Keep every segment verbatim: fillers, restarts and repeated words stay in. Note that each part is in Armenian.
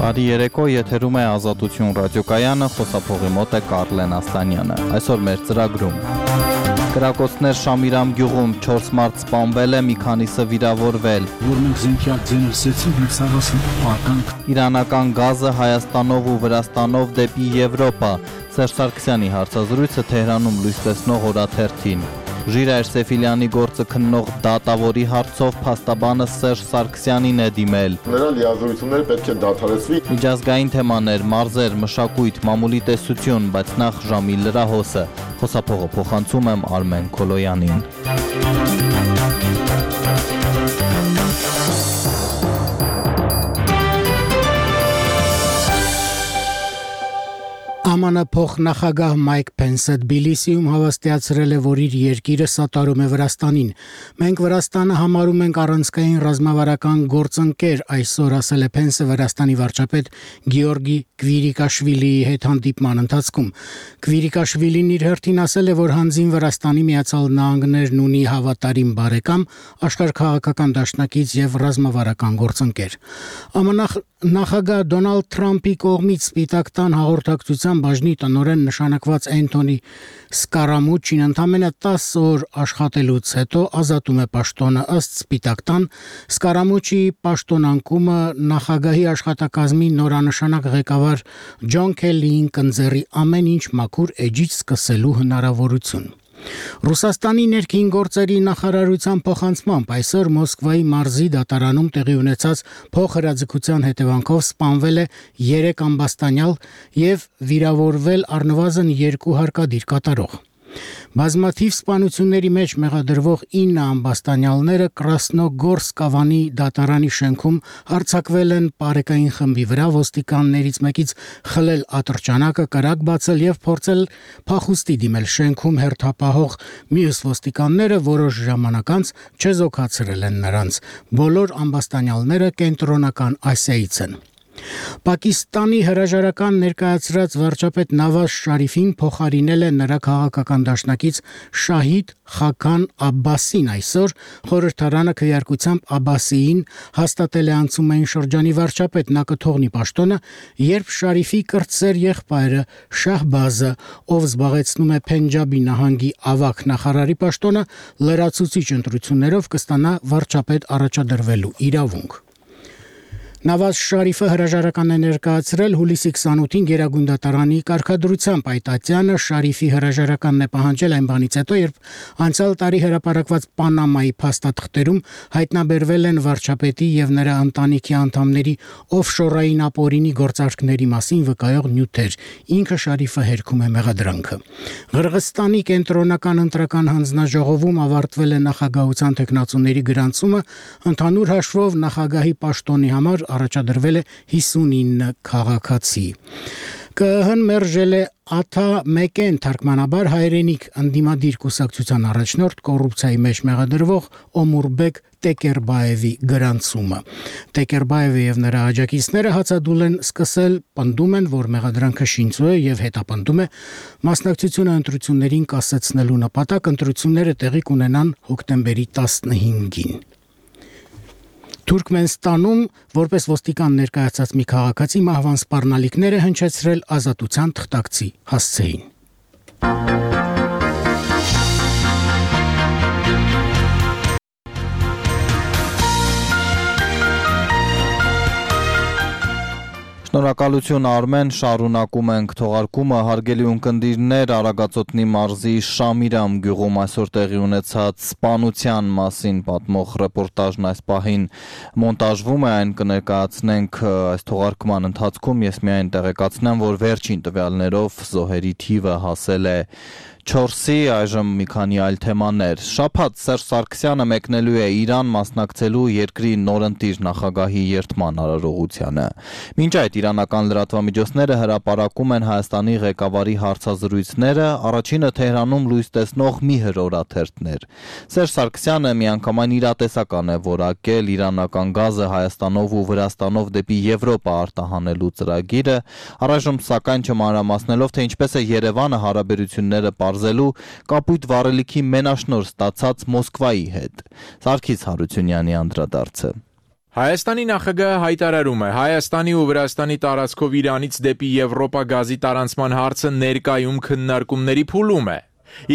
Բարի երեկո, եթերում է Ազատություն ռադիոկայանը, խոսափողի մոտ է Կարլեն Ասլանյանը։ Այսօր մեր ծրագրում կրակոցներ Շամիրամ գյուղում չորս մարդ սպանվել է, մի քանիսը վիրավորվել։ Որ մենք զենքյակ ձեներսեցին և սաղասն պարկանք։ Իրանական գազը Հայաստանով ու Վրաստանով դեպի Եվրոպա։ Սերժ Սարգսյանի հարցազրույցը Թեհրանում լույս տեսնող օրաթերթին։ Ժիրայր Սեֆիլյանի գործը քննող դատավորի հարցով փաստաբանը Սերժ Սարգսյանին է դիմել։ Նրա լիազորությունները պետք է դադարեցվի։ Միջազգային թեմաներ, մարզեր, մշակույթ, մամուլի տեսություն, բայց նախ ժամի լրահոսը։ Խոսափողը փոխանցում եմ Արմեն Քոլոյանին։ Է Մ Ն փոխնախագահ Մայք Փենսը Թբիլիսիում հավաստիացրել է, որ իր երկիրը սատարում է Վրաստանին։ Մենք Վրաստանը համարում ենք առանցքային ռազմավարական գործընկեր, այսօր ասել է Փենսը Վրաստանի վարչապետ Գեորգի Կվիրիկաշվիլիի հետ հանդիպման ընթացքում։ Կվիրիկաշվիլին իր հերթին ասել է, որ հանձին Վրաստանի Միացյալ Նահանգներն ունի հավատարիմ բարեկամ, աշխարհաքաղաքական դաշնակից եւ ռազմավարական գործընկեր։ Է Մ Ն նախագահ Դոնալդ Թրամփի կողմից Սպիտակ տան հաղորդակցության բաժնի տնօրեն նշանակված Էնթոնի Սկարամուչին ընդամենը տասը օր աշխատելուց հետո ազատում է պաշտոնը։ Ըստ Սպիտակ տան, Սկարամուչի պաշտոնանկումը նախագահի աշխատակազմի նորանշանակ ղեկավար Ջոն Քելլիին կընձեռի ամեն ինչ մաքուր էջից սկսելու հնարավորություն։ Ռուսաստանի ներքին գործերի նախարարության փոխանցմամբ այսօր Մոսկվայի մարզի դատարանում տեղի ունեցած փոխհրաձգության հետևանքով սպանվել է երեք ամբաստանյալ եւ վիրավորվել առնվազն երկու հարկադիր կատարող։ Բազմաթիվ սպանությունների մեջ մեղադրվող ինը ամբաստանյալները Կրասնոգորսկ ավանի դատարանի շենքում հարձակվել են պարեկային խմբի վրա, ոստիկաններից մեկից խլել ատրճանակը, կրակ բացել եւ փորձել փախուստի դիմել շենքում հերթապահող մյուս ոստիկանները որոշ ժամանակ անց չեզոքացրել են նրանց։ Բոլոր ամբաստանյալները կենտրոնական Ասիայից են։ Պակիստանի հրաժարական ներկայացրած վարչապետ Նավազ Շարիֆին փոխարինել է նրա քաղաքական դաշնակից Շահիդ Խաքան Աբբասին այսօր խորհրդարանը քվեարկությամբ Աբբասիին հաստատել է անցումային շրջանի վարչապետ, նա կթողնի պաշտոնը, երբ Շարիֆի կրտսեր եղբայրը Շահբազը, ով զբաղեցնում է Փենջաբի նահանգի ավագ նախարարի պաշտոնը, լրացուցիչ ընտրություններով կստանա վարչապետ առաջադրվելու իրավունք։ Նավազ Շարիֆը հրաժարական է ներկայացրել հուլիսի քսանութին Գերագույն դատարանի կարգադրությամբ։ Այդ ատյանը Շարիֆի հրաժարականն է պահանջել այն բանից հետո, երբ անցյալ տարի հրապարակված Պանամայի փաստաթղթերում հայտնաբերվել են վարչապետի եւ նրա ընտանիքի անդամների օֆշորային ապօրինի գործարքների մասին վկայող նյութեր։ Ինքը Շարիֆը հերքում է մեղադրանքը։ Ղրղստանի կենտրոնական ընտրական հանձնաժողովում ավարտվել է նախագահության թեկնածուների գրանցումը, ընդհանուր հաշվով նախագահի պաշտոնի համար առաջադրվել է հիսունինը քաղաքացի։ Կը Հ Ն մերժել է Աթա Մեկեն թարգմանաբար հայրենիք ընդդիմադիր կուսակցության առաջնորդ կոռուպցիայի մեջ մեղադրվող Օմուրբեկ Տեկերբաևի գրանցումը։ Տեկերբաևը եւ նրա աջակիցները հացադուլ են սկսել, պնդում են, որ մեղադրանքը շինծու է եւ հետապնդում է մասնակցությունը ընտրություններին կասեցնելու նպատակ, ընտրությունները տեղի կունենան հոկտեմբերի տասնհինգին։ Թուրքմենստանում որպես ոստիկան ներկայացած մի քաղաքացի մահվան սպառնալիքները հնչեցրել ազատության թղթակցի հասցեին։ Շնորհակալություն Արմեն, շարունակում ենք թողարկումը, հարգելի ունկնդիրներ, Արագածոտնի մարզի Շամիրամ գյուղում այսօր տեղի ունեցած սպանության մասին պատմող ռեպորտաժն այս պահին մոնտաժվում է, այն կներկայացնենք այս թողարկման ընթացքում, ես միայն տեղեկացնեմ, որ վերջին տվյալներով զոհերի թիվը հասել է չորսի, այժմ մի քանի այլ թեմաներ։ Շաբաթ Սերժ Սարգսյանը մեկնելու է Իրան մասնակցելու երկրի նորընտիր նախագահի երդման արարողությանը։ Մինչ այդ իրանական լրատվամիջոցները հրապարակում են Հայաստանի ղեկավարի հարցազրույցները, առաջինը Թեհրանում լույս տեսնող մի հրորաթերթներ։ Սերժ Սարգսյանը միանգամայն իրատեսական է որակել իրանական գազը Հայաստանով ու Վրաստանով դեպի Եվրոպա արտահանելու ծրագիրը, առայժմ սակայն չմանրամասնելով, թե ինչպես է Երևանը հարաբերությունները պարզելու կապույտ վառելիքի մենաշնորհ ստացած Մոսկվայի հետ։ Սարգիս Հարությունյանի անդրադարձը։ Հայաստանի նախագահը հայտարարում է, Հայաստանի ու Վրաստանի տարածքով Իրանից դեպի Եվրոպա գազի տարանցման հարցը ներկայում քննարկումների փուլում է։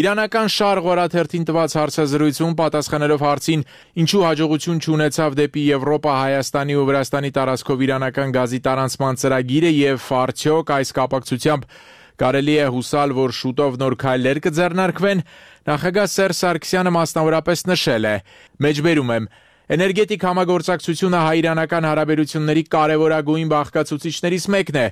Իրանական Շարղ օրաթերթին տված հարցազրույցում պատասխանելով հարցին, ինչու հաջողություն չունեցավ դեպի Եվրոպա Հայաստանի ու Վրաստանի տարածքով իրանական գազի տարանցման ծրագիրը եւ արդյոք այս կապակցությամբ կարելի է հուսալ, որ շուտով նոր քայլեր կձեռնարկվեն, նախագահ Սերժ Սարգսյանը մասնավորապես նշել է. «Մեջբերում եմ, էներգետիկ համագործակցությունը հայ-իրանական հարաբերությունների կարևորագույն բաղկացուցիչներից մեկն է։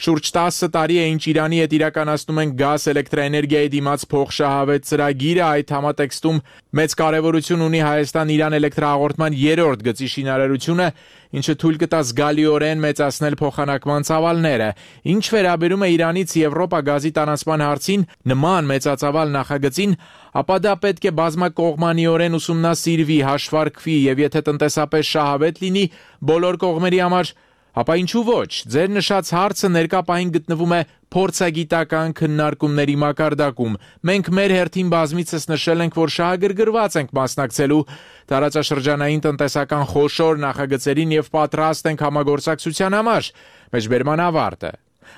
Շուրջ տասը տարի է, ինչ Իրանի հետ իրականացնում են գազ էլեկտրաէներգիայի դիմաց փոխշահավետ ծրագիրը, այդ համատեքստում մեծ կարևորություն ունի Հայաստան-Իրան էլեկտրահաղորդման երրորդ գծի շինարարությունը, ինչը թույլ կտա զգալիորեն մեծացնել փոխանակման ծավալները։ Ինչ վերաբերում է Իրանից Եվրոպա գազի տարանցման հարցին, նման մեծածավալ նախագծին, ապա դա պետք է բազմակողմանիորեն ուսումնասիրվի, հաշվարկվի եւ եթե տնտեսապես շահավետ լինի բոլոր կողմերի համար, ապա ինչու ոչ։ Ձեր նշած հարցը ներկա պահին գտնվում է փորձագիտական քննարկումների մակարդակում։ Մենք մեր հերթին բազմիցս նշել ենք, որ շահագրգռված ենք մասնակցելու տարածաշրջանային տնտեսական խոշոր նախագծերին եւ պատրաստ ենք համագործակցության համար։ Մեջբերման ավարտը։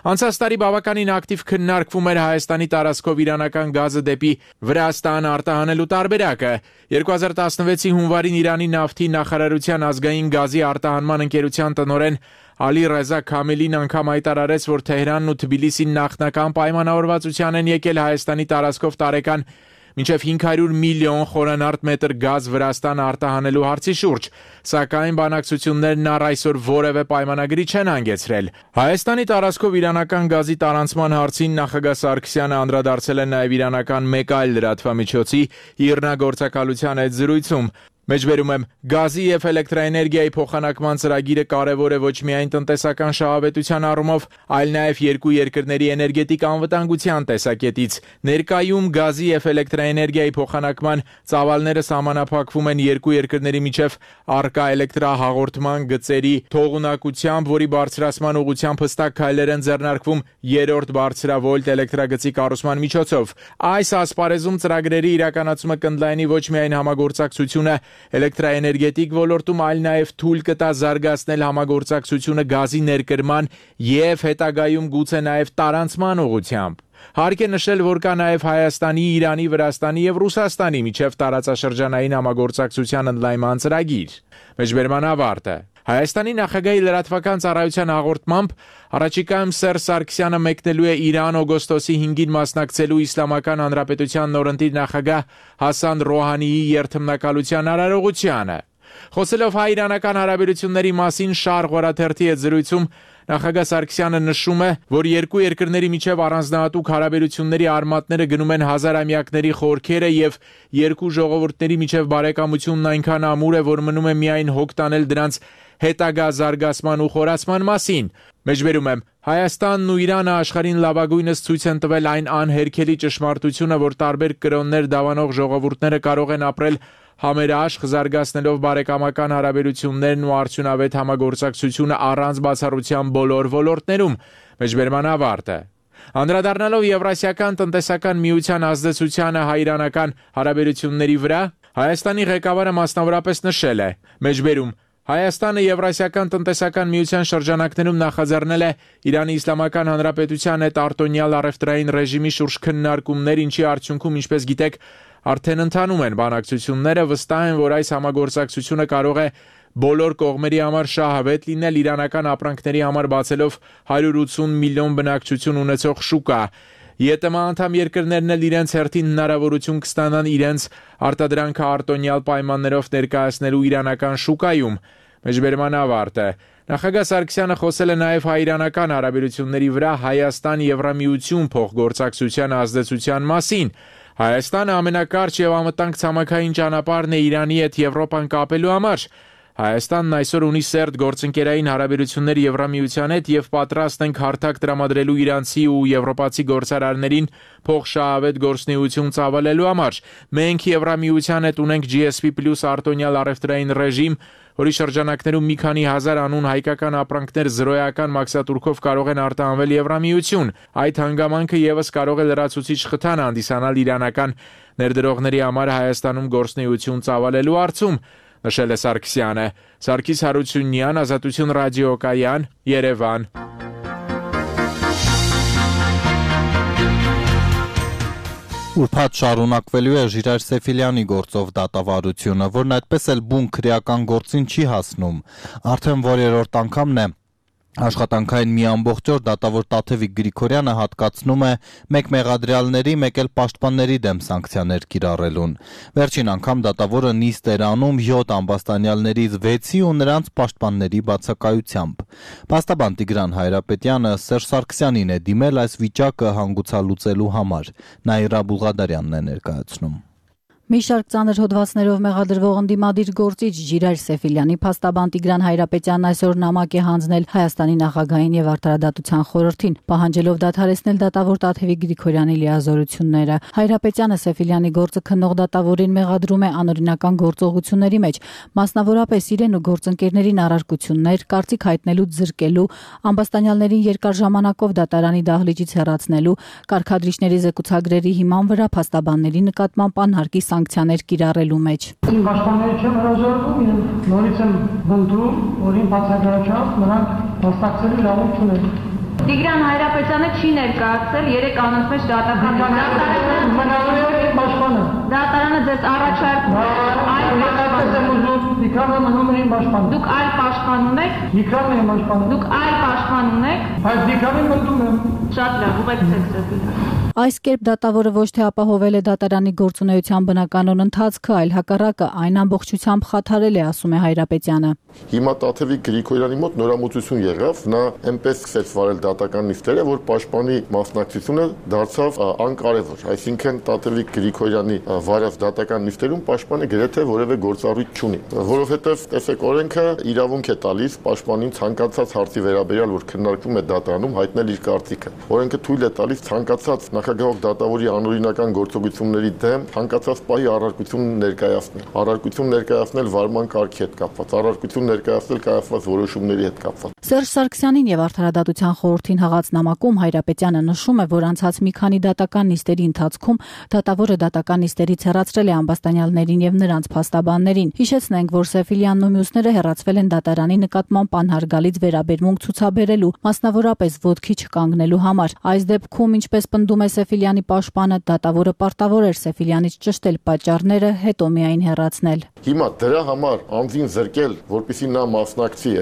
Անցած տարի բավականին ակտիվ քննարկվում էր Հայաստանի տարածքով իրանական գազը դեպի Վրաստան արտահանելու տարբերակը։ երկու հազար տասնվեցի հունվարին Իրանի նավթի նախարարության ազգային գազի արտահանման ընկերության տնօրեն Ալի Ռեզա Քամելին անգամ հայտարարեց, որ Թեհրանն ու Թբիլիսին նախնական պայմանավորվածության են եկել Հայաստանի տարածքով տարեկան մինչև հինգ հարյուր միլիոն խորանարդ մետր գազ Վրաստան արտահանելու հարցի շուրջ, սակայն բանակցություններն առ այսօր որևէ պայմանագրի չեն հանգեցրել։ Հայաստանի տարածքով իրանական գազի տարանցման հարցին նախագահ Սարգսյանը անդրադարձել է նաև իրանական մեկ այլ լրատվամիջոցի իրնագործակալության այդ զրույցում։ Մեջբերում եմ, գազի եւ էլեկտրաէներգիայի փոխանակման ծրագիրը կարևոր է ոչ միայն տնտեսական շահավետության առումով, այլ նաեւ երկու երկրների էներգետիկ անվտանգության տեսակետից։ Ներկայում գազի եւ էլեկտրաէներգիայի փոխանակման ծավալները սահմանափակվում են երկու երկրների միջև առկա էլեկտրահաղորդման գծերի թողունակությամբ, որի բարձրացման ուղղությամբ հստակ քայլեր են ձեռնարկվում երրորդ բարձրավոլտ էլեկտրագծի կառուցման միջոցով։ Այս ասպարեզում ծրագրերի իրականացումը կընդլայնի ոչ միայն համագործակցությունը էլեկտրաէներգետիկ ոլորտում, այլ նաև թույլ կտա զարգացնել համագործակցությունը գազի ներկրման եւ հետագայում գուցե նաև տարանցման ուղղությամբ։ Հարկ է նշել, որ կա նաև Հայաստանի, Իրանի, Վրաստանի եւ Ռուսաստանի միջև տարածաշրջանային համագործակցության ընդլայնման ծրագիր։ Մեջբերման ավարտը։ Հայաստանի նախագահի լրատվական ծառայության հաղորդմամբ առաջիկայում Սերժ Սարգսյանը մեկնելու է Իրան օգոստոսի հինգին մասնակցելու Իսլամական Հանրապետության նորընտիր նախագահ Հասան Ռոհանիի երթմնակալության արարողությանը։ Խոսելով հայ-իրանական հարաբերությունների մասին Շարղ օրաթերթի հետ զրույցում նախագահ Սարգսյանը նշում է, որ երկու երկրների միջև առանձնահատուկ հարաբերությունների արմատները գնում են հազարամյակների խորքերը եւ երկու ժողովուրդների միջև բարեկամությունն այնքան ամուր է, որ մնում է միայն հոգ տանել դրանց հետագա զարգացման ու խորացման մասին։ Մեջբերում եմ, Հայաստանն ու Իրանը աշխարհին լավագույնս ցույց են տվել այն անհերքելի ճշմարտությունը, որ տարբեր կրոններ դավանող ժողովուրդները կարող են ապրել համերաշխ, զարգացնելով բարեկամական հարաբերություններն ու արդյունավետ համագործակցությունը առանց բացառության բոլոր ոլորտներում։ Մեջբերման ավարտը։ Անդրադառնալով Եվրասիական տնտեսական միության ազդեցությանը հայ-իրանական հարաբերությունների վրա, Հայաստանի ղեկավարը մասնավորապես նշել է. Մեջբերում Հայաստանը Եվրասիական տնտեսական միության շրջանակներում նախաձեռնել է Իրանի Իսլամական Հանրապետության հետ արտոնյալ առևտրային ռեժիմի շուրջ քննարկումներ, ինչի արդյունքում, ինչպես գիտեք, արդեն ընթանում են բանակցությունները, վստահ են, որ այս համագործակցությունը կարող է բոլոր կողմերի համար շահավետ լինել, իրանական ապրանքների համար բացելով հարյուր ութսուն միլիոն բնակչություն ունեցող շուկա։ ԵՏՄ անդամ երկրներն էլ իրենց հերթին հնարավորություն կստանան իրենց արտադրանքը արտոնյալ պայմաններով ներկայացնելու իրանական շուկայում։ Մեջբերման ավարտը։ Նախագահ Սարգսյանը խոսել է նաև հայ-իրանական հարաբերությունների վրա Հայաստան-Եվրամիություն փոխգործակցության ազդեցության մասին։ Հայաստանը ամենակարճ եւ անվտանգ ցամաքային ճանապարհն է Իրանի հետ Եվրոպան կապելու համար։ Հայաստանն այսօր ունի սերտ գործընկերային հարաբերություններ Եվրամիության հետ եւ պատրաստ ենք հարթակ տրամադրելու իրանցի ու եվրոպացի գործարարներին փոխշահավետ գործունեություն ծավալելու համար։ Մենք Եվրամիության հետ ունենք G S P plus արտոնյալ առևտրային ռեժիմ, որի շրջանակներում մի քանի հազար անուն հայկական ապրանքներ զրոյական մաքսատուրքով կարող են արտահանվել Եվրամիություն։ Այդ հանգամանքը եւս կարող է լրացուցիչ խթան հանդիսանալ իրանական ներդրողների համար Հայաստանում գործունեություն ծավալելու հարցում։ նշել է Սարգսյանը։ Սարգիս Հարությունյան, Ազատություն ռադիոկայան, Երևան։ Ուրբաթ շարունակվելու է Ժիրայր Սեֆիլյանի գործով դատավարությունը, որն այդպես էլ բուն քրեական գործին չի հասնում։ Արդեն որերորդ անգամն է աշխատանքային մի ամբողջ օր դատավոր Տաթևիկ Գրիգորյանը հատկացնում է մեկ մեղադրյալների, մեկ էլ պաշտպանների դեմ սանկցիաներ կիրառելուն։ Վերջին անգամ դատավորը նիստ էր անում յոթ ամբաստանյալներից վեցի ու նրանց պաշտպանների բացակայությամբ։ Փաստաբան Տիգրան Հայրապետյանը Սերժ Սարգսյանին է դիմել այս վիճակը հանգուցալուծելու համար։ Նաիրա Բուղադարյանն է ներկայացնում։ Մի շարք ծանր հոդվածներով մեղադրվող ընդդիմադիր գործիչ Ժիրայր Սեֆիլյանի փաստաբան Տիգրան Հայրապետյանն այսօր նամակ է հանձնել Հայաստանի նախագահին եւ Արդարադատության խորհրդին, պահանջելով դադարեցնել դատավոր Տաթևիկ Գրիգորյանի լիազորությունները։ Հայրապետյանը Սեֆիլյանի գործը քննող դատավորին մեղադրում է անօրինական գործողությունների մեջ, մասնավորապես իրեն ու գործընկերներին առարկություններ, կարծիք հայտնելուց զրկելու, ամբաստանյալներին երկար ժամանակով դատարանի դահլիճից հեռացնելու, կարգադրիչների զեկուցագրերի հիման վրա փաստաբանների նկատմամբ անհարկի սանկցիաներ կիրառելու մեջ։ Իմ պաշտպանների չեմ հրաժարվում եւ նորից եմ բնդում, որ իմ բացակայությամբ նրանք հաստատելու իրավունք չունեն։ Տիգրան Հայրապետյանը չի ներկայացել երեք անոնց մեջ դատական դատարանը մնալու է իմ պաշտպանը։ Դատարանը ձեզ առաջարկում է այլ Իքրամը մնում է իմ պաշտպանը։ Դուք այլ պաշտպան ունեք։ Իքրամն է իմ պաշտպանը։ Դուք այլ պաշտպան ունեք։ Բայց Իքրամին մտնում եմ։ Շատ լավ, ուղեկցեք Սեֆիլյանին։ Այս կերպ դատավորը ոչ թե ապահովել է դատարանի գործունեության բնականոն ընթացքը, այլ հակառակը այն ամբողջությամբ խաթարել է, ասում է Հայրապետյանը։ Հիմա Տաթևիկ Գրիգորյանի մոտ նորամուծություն եղավ, նա այնպես սկսեց վարել դատական նիստերը, որ պաշտպանի մասնակցությունը դարձավ անկարևոր, այսինքն Տաթևիկ Գրիգորյանի վարած դատական նիստերում պաշտպանը գրեթե որևէ գործառույթ չունի, որովհետև տեսեք օրենքը իրավունք է տալիս պաշտպանին ցանկացած հարցի վերաբերյալ, որ քննարկվում է դատարանում, հայտնել իր կարծիքը։ Օրենքը թույլ է տալիս ցանկացած նախագահող դատավորի անօրինական գործողությունների դեմ ցանկացած պահի առարկություն ներկայացնել։ Առարկություն ներկայացնել վարման կարգի հետ կապված, առարկություն ներկայացնել կայացված որոշումների հետ կապված։ Սերժ Սարգսյանին եւ Արդարադատության խորհրդին հղած նամակում Հայրապետյանը նշում է, որ անցած մի քանի դատական նիստերի ընթացքում դատավորը դատական նիստերից հեռացրել է ամբաստանյալներին եւ նրանց փաստաբաններին։ Հիշեցնենք, որ Սեֆիլյանն ու մյուսները հեռացվել են դատարանի նկատմամբ անհարգալից վերաբերմունք ցուցաբերելու, մասնավորապես ոտքի չկանգնելու համար։ Այս դեպքում, ինչպես պնդում է Սեֆիլյանի պաշտպանը, դատավորը պարտավոր էր Սեֆիլյանից ճշտել պատճառները, հետո միայն հեռացնել։ Հիմա դրա համար անձին զրկել, որպեսզի նա մասնակցի,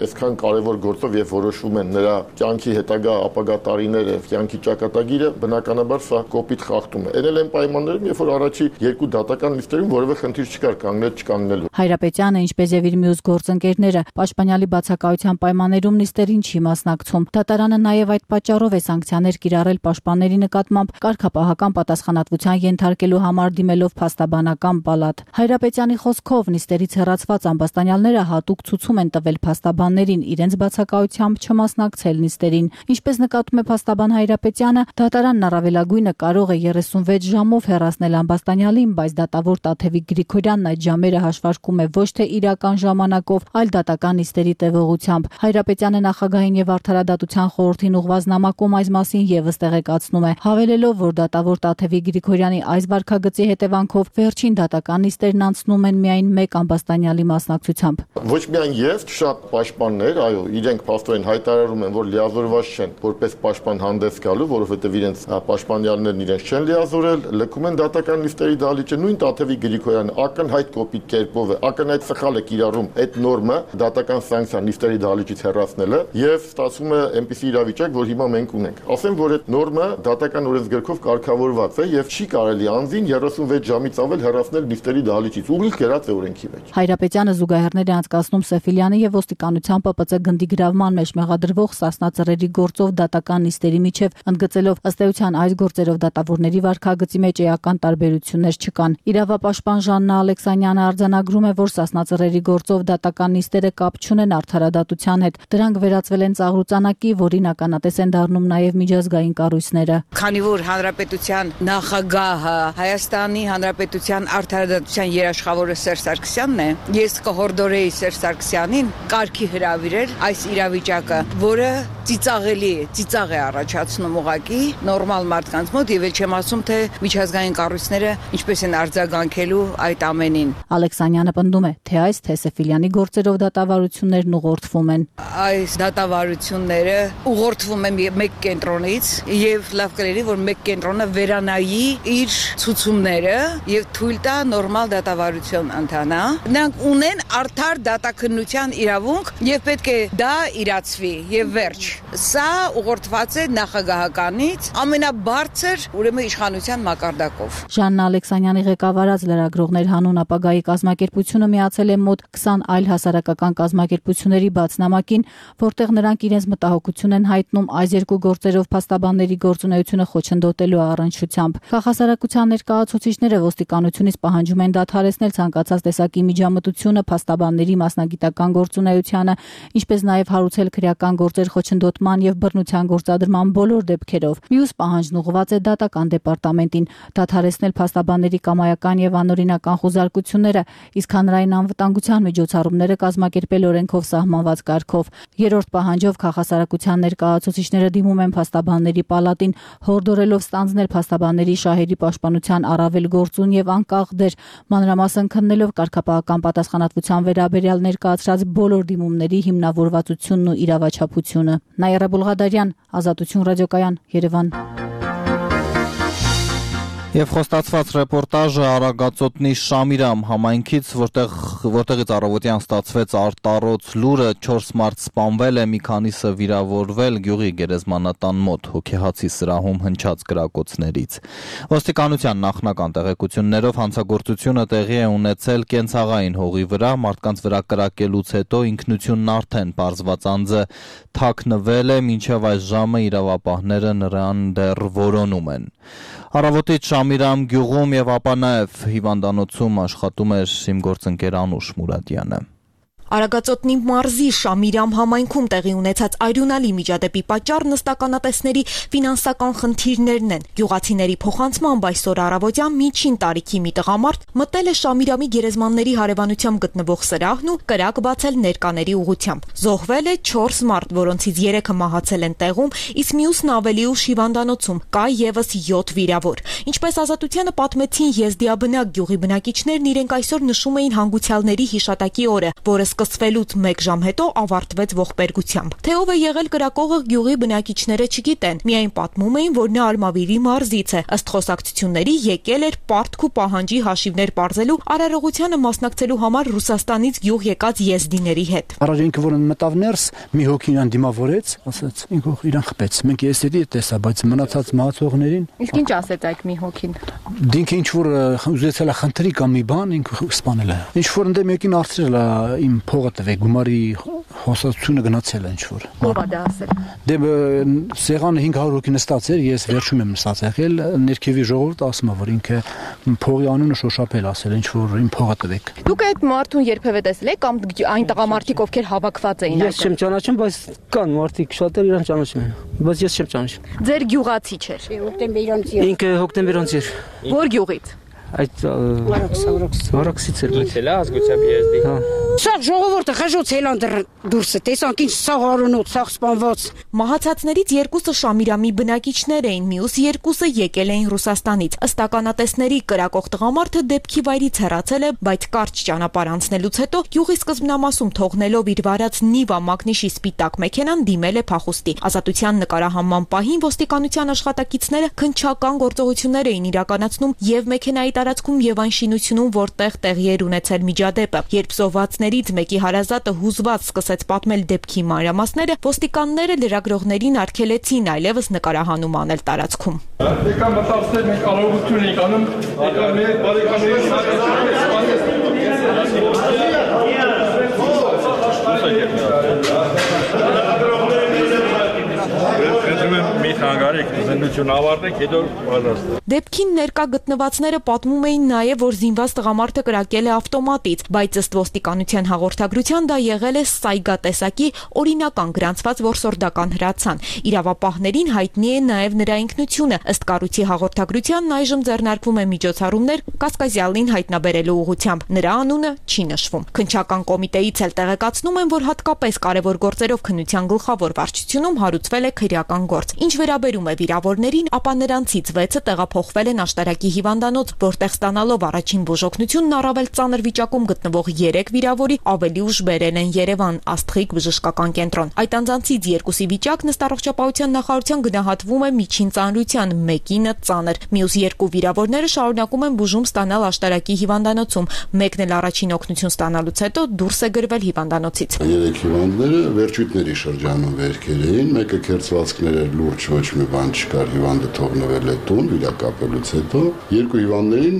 այսքան կարևոր գործով եւ որոշվում են նրա կյանքի հետագա ապագա տարիները, կյանքի ճակատագիրը, բնականաբար սա կոպիտ խախտում է։ Էնել են պայմաններում, երբ որ առաջի երկու դատական լիստերում որևէ խնդիր չկար կանգնել չկանգնելու։ Հայրապետյանը, ինչպես եւ իր մյուս գործընկերները, պաշտպանյալի բացակայության պայմաններում նիստերին չի մասնակցում։ Դատարանը նաեւ այդ պատճառով է սանկցիաներ կիրառել պաշտպանների նկատմամբ կարգապահական պատասխանատվության ենթարկելու համար դիմելով փաստաբանական պալատ։ Հայրապետյանի խոսքով նիստերից հեռացված ամբաստանյալները հատուկ ցուցում են տվել փաստաբաններին իրենց բացակայությամբ չմասնակցել նիստերին։ Ինչպես նկատում է փաստաբան Հայրապետյանը, դատարանն առավելագույնը կարող է երեսունվեց ժամով հեռացնել ամբաստանյալին, բայց դատավոր Տաթևիկ Գրիգորյանն այդ ժամերը հաշվարկում է ոչ թե իրական ժամանակով, այլ դատական նիստերի տևողությամբ։ Հայրապետյանը նախագահին եւ Արդարադատության խորհրդին ուղղված նամակում այս մասին եւս տեղեկացնում է, հավելելով, որ դատավոր Տաթևիկ Գրիգորյանի այս վարքագծի հետևանքով վերջին դատական նիստերն անցնում են միայն մեկ ամբաստանյալի մասնակցությամբ։ Ոչ միայն ես, շատ պաշտպաններ, այո, իրենք փաստորեն հայտարարում են, որ լիազորված չեն որպես պաշտպան հանդես գալու, որովհետև իրենց պաշտպանյալներն իրենց չեն լիազորել, լքում են դատական նիստերի դահլիճը, նույն Տաթևիկ Գրիգորյանը ակնհայտ կոպիտ կերպով է, ակնհայտ սխալ է կիրառում այդ նորմը դատական սանկցիա նիստերի դահլիճից հեռացնելը եւ ստացվում է այնպիսի իրավիճակ, որ հիմա մենք ունենք։ Ասեմ, որ այդ նորմը դատական օրենսգրքով կարգավորված է եւ չի կարելի անձին երեսունվեց ժամից ավել հեռացնել նիստերի դահլիճից։ Ուղիղ կերած է օրենքի մեջ։ Հայրապետյանը զուգահեռներ է անցկացնում Սեֆիլյանի եւ ոստիկանության ՊՊՑ գնդի գրավման մեջ մեղադրվող Սասնա-Ծռերի գործով դատական նիստերի միջև, ընդգծելով ըստ էության այս գործերով դատավորների վարքագծի մեջ էական տարբերություններ չկան։ Իրավապաշտպան Ժաննա Ալեքսանյանը արձանագրում է, որ Սասնա-Ծռերի գործով դատական նիստերը կապ չունեն Արդարադատության հետ։ Դրանք վերածվել են ծաղրուծանակի, որին ականատես են դառնում նաեւ միջազգային կառույցները։ Քանի որ հանրապետության նախագահը Հայաստանի հանրապետության արդարադատության երաշխավորը Սերժ Սարգսյանն է, ես կհորդորեի Սերժ Սարգսյանին կարգի հրավիրել այս իրավիճակը, որը ծիծաղելի է, ծիծաղ է առաջացնում ուղղակի նորմալ մարդկանց մոտ եւ չեմ ասում թե միջազգային կառույցները ինչպես են արձագանքելու այդ ամենին։ Ալեքսանյանը պնդում է, թե այս թե Սեֆիլյանի գործերով դատավարություններն ուղղորդվում են։ Այս դատավարությունները ուղղորդվում են մեկ կենտրոնից եւ լավ կլինի, որ մեկ կենտրոնը վերանայի իր ցուցումները եւ թույլ տա նորմալ դատավարություն ընթանա։ Նրանք ունեն արդար դատաքննության իրավունք եւ պետք է դա իրացվի եւ վերջ։ Սա ուղղորդված է նախագահականից ամենաբարձր ուրեմն իշխանության մակարդակով։ Ժաննա Ալեքսանյանի ղեկավարած լրագրողներ հանուն ապագայի կազմակերպությունը միացել է մոտ քսան այլ հասարակական կազմակերպությունների բացնամակին, որտեղ նրանք իրենց մտահոգություն են հայտնում այս երկու գործերով փաստաբանների գործունեությունը խոչընդոտելու առնչությամբ։ Քաղաքասարակության ներկայացուցիչները ոստիկանությունից պահանջում են դադարեցնել ցանկացած տեսակի միջամտությունը փաստաբանների մասնագիտական գործունեությանը, ինչպես նաև հարուցել քրեական գործեր խոչընդոտման եւ բռնության գործադրման բոլոր դեպքերով։ Մյուս պահանջն ուղղված է դատական դեպարտամենտին՝ դադարեցնել փաստաբանների կամայական եւ անօրինական խուզարկությունները, իսկ հանրային անվտանգության միջոցառումները կազմակերպել օրենքով սահմանված կարգով։ Երրորդ պահանջով քաղաքասարակության ներկայացուցիչները դիմում են փաստաբանների պալատին, հորդորելով ստանձնել փաստաբանների շահերի պաշտպանության առավել գործուն եւ անկախ դեր, մանրամասն քննելով կարգապահական պատասխանատվության վերաբերյալ ներկայացրած բոլոր դիմումների հիմնավորվածությունն ու իրավաչափությունը։ Նաիրա Բուլղադարյան, Ազատություն ռադիոկայան, Երևան։ Եվ խոստացված ռեպորտաժը Արագածոտնի Շամիրամ համայնքից, որտեղ որտեղից առավոտյան ստացվեց արտառոց լուրը, չորս մարդ սպանվել է, մի քանիսը վիրավորվել գյուղի գերեզմանատան մոտ հոգեհացի սրահում հնչած կրակոցներից։ Ոստիկանության նախնական տեղեկություններով հանցագործությունը տեղի է ունեցել կենցաղային հողի վրա, մարդկանց վրա կրակելուց հետո ինքնությունն արդեն պարզված անձը թաքնվել է, մինչև այս ժամը իրավապահները նրան դեռ որոնում են։ Առավոտից Շամիրամ գյուղում եւ ապա նաեւ հիվանդանոցում աշխատում էր իմ գործընկեր Անուշ Մուրադյանը։ Արագածոտնի մարզի Շամիրամ համայնքում տեղի ունեցած այրունալի միջադեպի պատճառ նստականատեսների ֆինանսական խնդիրներն են։ Գյուղացիների փոխանցմամբ այսօր առավոտյան միջին տարիքի մի տղամարդ մտել է Շամիրամի գերեզմանների հարևանությամբ գտնվող սրահն ու կրակ բացել ներկաների ուղղությամբ։ Զոհվել է չորս մարդ, որոնցից երեքը մահացել են տեղում, իսկ մյուսն ավելի ուշ հիվանդանոցում, կա եւս յոթ վիրավոր։ Ինչպես Ազատությանը պատմեցին Եզդիաբնակ գյուղի բնակիչներն, իրենք այսօր նշում էին հանգուցյալների հիշատակի օրը, որը սկսվելուց մեկ ժամ հետո ավարտվեց ողբերգությամբ։ Թե ով է եղել կրակողը գյուղի բնակիչները չգիտեն, միայն պատմում էին, որ նա Արմավիրի մարզից է, ըստ խոսակցությունների եկել էր պարտք ու պահանջի հաշիվներ պարզելու արարողությանը մասնակցելու համար Ռուսաստանից գյուղ եկած եզդիների հետ։ Առաջինքը որ մտավ ներս, մի հոգի իրան դիմավորեց, ասաց, ինքով իրան խփեց։ Մենք եստերի տեսա, բայց մնացած մահացողներին։ Իսկ ինչ ասեց այդ մի հոգին։ Դինքը ինչ որ ուզեցել է խնդրի կամ մի բան, ինքը սպանել է։ Ինչ որ ընդեմ եկին արծրել է իմ փողը տվեք, գումարի հոսացությունը գնացել է ինչ որ։ Ո՞վ է դա ասել։ Դե սեղանը հինգ հարյուր հոգի նստած էր, ես վերջում եմ նստած եղել, ներքևի ժողովուրդը ասում է, որ ինքը փողի անունը շոշափել ասել, ինչ որ իմ փողը տվեք։ Դուք այդ մարդուն երբևէ տեսել եք կամ այն տղամարդիկ ովքեր հավաքված էին այդտեղ։ Ես չեմ ճանաչում, բայց կան մարդիկ շատեր իրան ճանաչում են, բայց ես չեմ ճանաչում։ Ձեր գյուղացի չէր։ Հոկտեմբերոնցի։ Ինքը հոկտեմբերոնցի էր։ Որ գյուղից։ Այդ Արաքսից էր։ Դու ելա ազգությամբ եզդի։ Հա։ Սա ժողովուրդը խժոց ելան դուրսը, տեսանք ինչ սաղ արունոց, սաղ սպանված։ Մահացածներից երկուսը Շամիրամի բնակիչներ էին, մյուս երկուսը եկել էին Ռուսաստանից։ Ըստ ականատեսների կրակող տղամարդը դեպքի վայրից հեռացել է, բայց կարճ ճանապարհ անցնելուց հետո գյուղի սկզբնամասում թողնելով իր վարած Նիվա մակնիշի սպիտակ մեքենան դիմել է փախուստի։ Ազատության նկարահանման պահին ոստիկանության աշխատակիցները քննչական գործողություններ էին իրականացնում եւ մեքենայի տարածքում եւ այն շինությունում, որտեղ տեղի էր ունեցել միջադեպը։ Երբ զոհվածներից մեկի հարազատը հուզված սկսեց պատմել դեպքի մանրամասները, ոստիկանները լրագրողներին արգելեցին այլևս նկարահանում անել տարածքում։ Եկան մտածել մենք արարողություն ենք անում, եկան մեր բարեկամների մի խանգարեք, ուզեն քննություն ավարտենք, հետո պատասխան։ Դեպքին ներկա գտնվածները պատմում էին նաև, որ զինված տղամարդը կրակել է ավտոմատից, բայց ըստ ոստիկանության հաղորդագրության դա եղել է սայգատեսակի օրինական գրանցված որսորդական հրացան։ Իրավապահներին հայտնի է նաև նրա ինքնությունը։ Ըստ կառույցի հաղորդագրությանն այժմ ձեռնարկվում է միջոցառումներ Կասկազյալին հայտնաբերելու ուղղությամբ։ Նրա անունը չի նշվում։ Քննչական կոմիտեից էլ տեղեկացնում են, որ հատկապես կարևոր գործերով քննության գլխավոր վարչությունում հարուցվել է քրեական գործ։ Ինչ վերաբերում է վիրավորներին, ապա նրանցից վեցը տեղափոխվել են Աշտարակի հիվանդանոց, որտեղ ստանալով առաջին բուժօգնությունն առավել ծանր վիճակում գտնվող երեք վիրավորի ավելի ուշ բերել են Երևան Աստղիկ բժշկական կենտրոն։ Այդ անձանցից երկուսի վիճակն ըստ առողջապահության նախարարության գնահատվում է միջին ծանրության, մեկինը ծանր։ Մյուս երկու վիրավորները շարունակում են բուժում ստանալ Աշտարակի հիվանդանոցում։ Մեկն էլ առաջին օգնություն ստանալուց հետո դուրս է գրվել հիվանդանոցից։ Երեք հիվանդները վերջույթների շրջանում վերքեր էին, մեկը քերծվածքներ էր, լուրջ ոչ մի բան չկար, հիվանդը թողնվել է տուն վիրակապելուց հետո։ Երկու հիվանդներին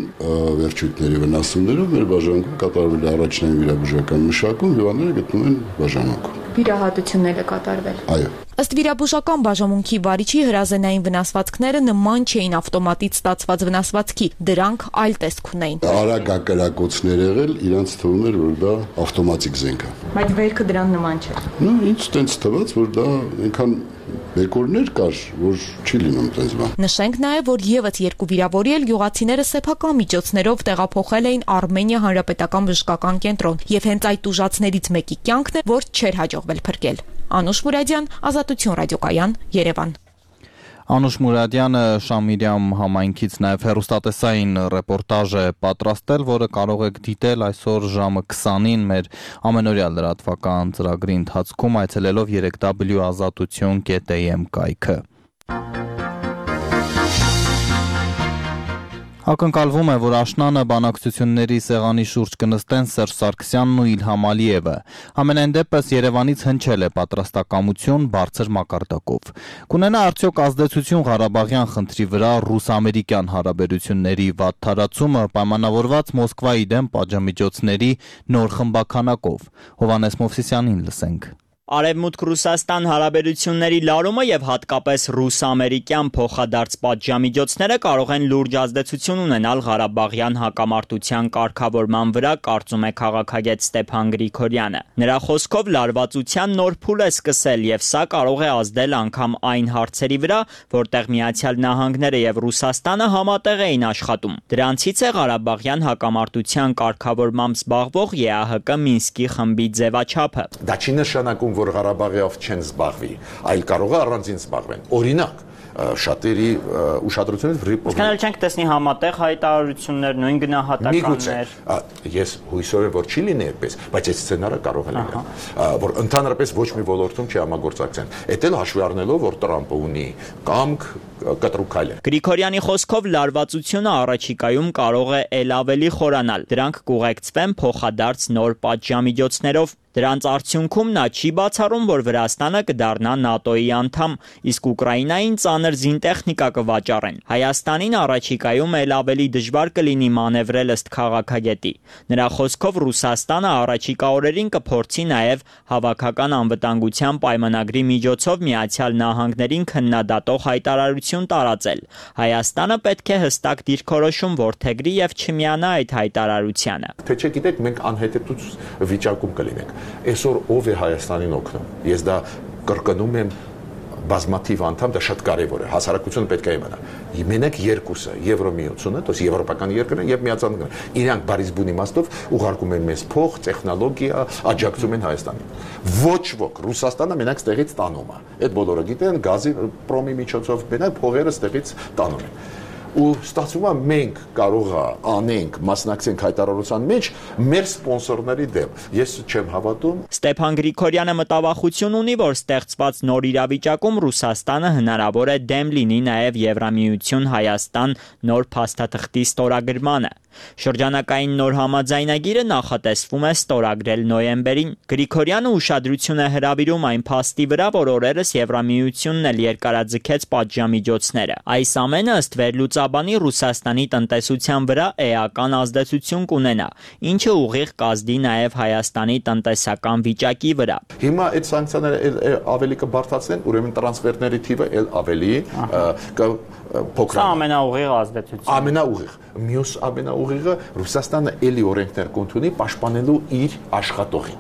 վերջույթների վնասումներով մեր բաժանքում կատարվել է առաջնային վիրաբուժական մշակում, հիվանդները գտնվում են բաժանմունքում։ Վիրահատություններ է կատարվել։ Այո։ Ըստ վիրաբուժական բաժանմունքի վարիչի հրազենային վնասվածքները նման չէին ավտոմատից ստացված վնասվածքի, դրանք այլ տեսք ունեին։ Արագակրակոցներ եղել, իրանց թվում էր, որ դա ավտոմատիկ զենք է։ Բայց վերքը դրան նման չէ։ Նո, ինձ տենց թվաց, որ դա այնքան բեկորներ կար, որ չի լինում տենց բան։ Նշենք նաև, որ եւս երկու վիրավորի էլ գյուղացիները սեփական միջոցներով տեղափոխել էին Արմենիա հանրապետական բժշկական կենտրոն, եւ հենց այդ ուժածներից մեկի կյանքն է, որ չէր հաջողվել փրկել։ Անուշ Մուրադյան, Ազատություն ռադիոկայան, Երևան։ Անուշ Մուրադյանը Շամիրյամ համայնքից նաև հեռուստատեսային ռեպորտաժ է պատրաստել, որը կարող եք դիտել այսօր ժամը քսանին մեր ամենօրյա լրատվական ծրագրի ընթացքում այցելելով երեք w ազատություն կետ am կայքը։ Ակնկալվում է, որ աշնանը բանակցությունների սեղանի շուրջ կնստեն Սերժ Սարգսյանն ու Իլհամ Ալիևը։ Համենայն դեպս Երևանից հնչել է պատրաստակամություն բարձր մակարդակով։ Կունենա արդյոք ազդեցություն Ղարաբաղյան խնդրի վրա ռուս-ամերիկյան հարաբերությունների վատ թարացումը պայմանավորված Մոսկվայի դեմ պատժամիջոցների նոր խմբաքանակով։ Հովհաննես Մովսիսյանին լսենք։ Արևմուտք-Ռուսաստան հարաբերությունների լարումը եւ հատկապես ռուս-ամերիկյան փոխադարձ պատժամիջոցները կարող են լուրջ ազդեցություն ունենալ Ղարաբաղյան հակամարտության կարգավորման վրա, կարծում է քաղաքագետ Ստեփան Գրիգորյանը։ Նրա խոսքով լարվածության նոր փուլ է սկսել եւ սա կարող է ազդել անգամ այն հարցերի վրա, որտեղ Միացյալ Նահանգները եւ Ռուսաստանը համատեղ էին աշխատում։ Դրանցից է Ղարաբաղյան հակամարտության կարգավորմամբ զբաղվող Է Ա Հ Կ Մինսկի խմբի ձևաչափը։ Դա չի նշանակում, որ Ղարաբաղով չեն զբաղվի, այլ կարող է առանձին զբաղվեն։ Օրինակ, շատերի ուշադրությունը վրիպով։ Իսկ հենց չենք տեսնի համատեղ հայտարարություններ, նույն գնահատականներ։ Ես հույսով եմ, որ չի լինի այդպես, բայց այդ սցենարը կարող է լինել, որ ընդհանրապես ոչ մի ոլորտում չի համագործակցեն։ Էդ էլ հաշվի առնելով, որ Տրամպը ունի կամք կտրուկալ է։ Գրիգորյանի խոսքով լարվածությունը առաջիկայում կարող է ել ավելի խորանալ։ Դրանք կուղեկցվեն փոխադարձ նոր պատժամիջոցներով։ Դրանց արդյունքում նա չի բացառում, որ Վրաստանը կդառնա ՆԱՏՕ-ի անդամ, իսկ Ուկրաինային ծանր զինտեխնիկա կվաճառեն։ Հայաստանին առաջիկայում ել ավելի դժվար կլինի մանևրել ըստ քաղաքագետի։ Նրա խոսքով Ռուսաստանը առաջիկա օրերին կփորձի նաև հավաքական անվտանգության պայմանագրի միջոցով Միացյալ Նահանգներին քննադատող հայտարարություն տարածել։ Հայաստանը պետք է հստակ դիրքորոշում որդեգրի եւ չմիանա այդ հայտարարությանը։ Թե չէ գիտեք, մենք անհետեթուց վիճակում կլինենք։ Այսօր ով է Հայաստանին օգնում։ Ես դա կրկնում եմ բազմաթիվ անդամ, դա շատ կարևոր է։ Հասարակությունը պետք է իմանա։ Մենակ երկուսը, Եվրոմիությունը, դոս եվրոպական երկրները եւ Միացյալ Նահանգները, իրանք բարիս բուն իմաստով ուղարկում են մեզ փող, տեխնոլոգիա, աջակցում են Հայաստանին։ Ոչ ոք, Ռուսաստանը մենակ ստեղից տանում է։ Այդ բոլորը գիտեն, գազի պրոմի միջոցով մենակ փողերը ստեղից տանում են։ Ու ստացվում է մենք կարող է անենք, մասնակցենք հայտարարության մեջ մեր սպոնսորների դեմ։ Ես չեմ հավատում։ Ստեփան Գրիգորյանը մտավախություն ունի, որ ստեղծված նոր իրավիճակում Ռուսաստանը հնարավոր է դեմ լինի նաև Եվրամիություն Հայաստան նոր փաստաթղթի ստորագրմանը։ Շրջանակային նոր համաձայնագիրը նախատեսվում է ստորագրել նոյեմբերին։ Գրիգորյանը ուշադրություն է հրավիրում այն փաստի վրա, որ օրերս Եվրամիությունն էլ երկարաձգեց պատժամիջոցները։ Այս ամենը ըստ վերլուծաբանների լուծաբանի Ռուսաստանի տնտեսության վրա էական ազդեցություն կունենա, ինչը ուղիղ կազդի նաև Հայաստանի տնտեսական վիճակի վրա։ Հիմա այդ սանկցիաները ավելի կբարձրացնեն, ուրեմն տրանսֆերների թիվը էլ ավելի փոքր։ Սա ամենաուղիղ ազդեցությունն է։ Ամենաուղիղ։ Մյուս ամենաուղիղը Ռուսաստանը էլի օրենքներ կընդունի պաշտպանելու իր աշխատողին,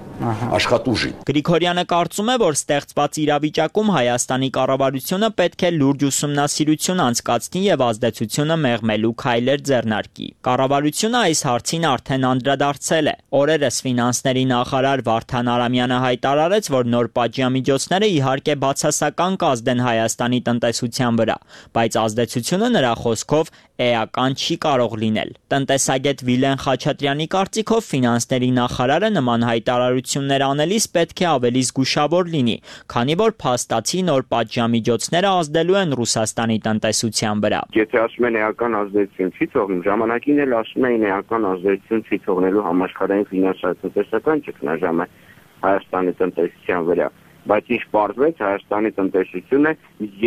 աշխատուժին։ Գրիգորյանը կարծում է, որ ստեղծված իրավիճակում Հայաստանի կառավարությունը պետք է լուրջ ուսումնասիրություն անցկացնի եւ ազդեցությունը մեղմելու քայլեր ձեռնարկի։ Կառավարությունը այս հարցին արդեն անդրադարձել է։ Օրերս ֆինանսների նախարար Վարդան Արամյանը հայտարարեց, որ նոր պատժամիջոցները իհարկե բացասական կազդեն Հայաստանի տնտեսության վրա, բայց ազդեցությունը նրա խոսքով էական չի կարող լինել։ Տնտեսագետ Վիլեն Խաչատրյանի կարծիքով ֆինանսների նախարարը նման հայտարարություններ անելիս պետք է ավելի զգուշավոր լինի, քանի որ փաստացի նոր պատժամիջոցները ազդելու են Ռուսաստանի տնտեսության վրա։ Եթե ասում են էական ազդեցություն չի թողնում, ժամանակին էլ ասում էին էական ազդեցություն չի թողնելու համաշխարհային ֆինանսա-տնտեսական ճգնաժամը Հայաստանի տնտեսության վրա, բայց ինչ պարզվեց, Հայաստանի տնտեսությունը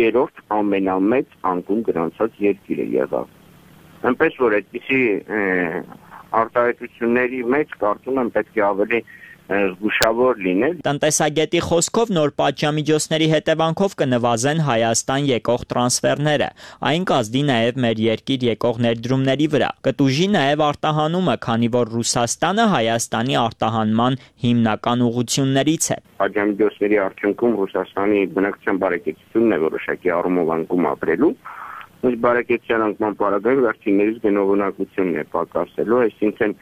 երրորդ ամենամեծ անկում գրանցած երկիրը եղավ։ Այնպես որ այդպիսի արտահայտությունների մեջ կարծում եմ պետք է ավելի զգուշավոր լինել։ Տնտեսագետի խոսքով նոր պատժամիջոցների հետևանքով կնվազեն Հայաստան եկող տրանսֆերները, այն կազդի նաև մեր երկիր եկող ներդրումների վրա։ Կտուժի նաև արտահանումը, քանի որ Ռուսաստանը Հայաստանի արտահանման հիմնական ուղղություններից է։ Պատժամիջոցների արդյունքում Ռուսաստանի բնակչության բարեկեցությունն է որոշակի առումով անկում ապրելու, բայց բարեկեցության անկման պարագայում վերջիններիս գնողունակությունն է պակասելու, այսինքն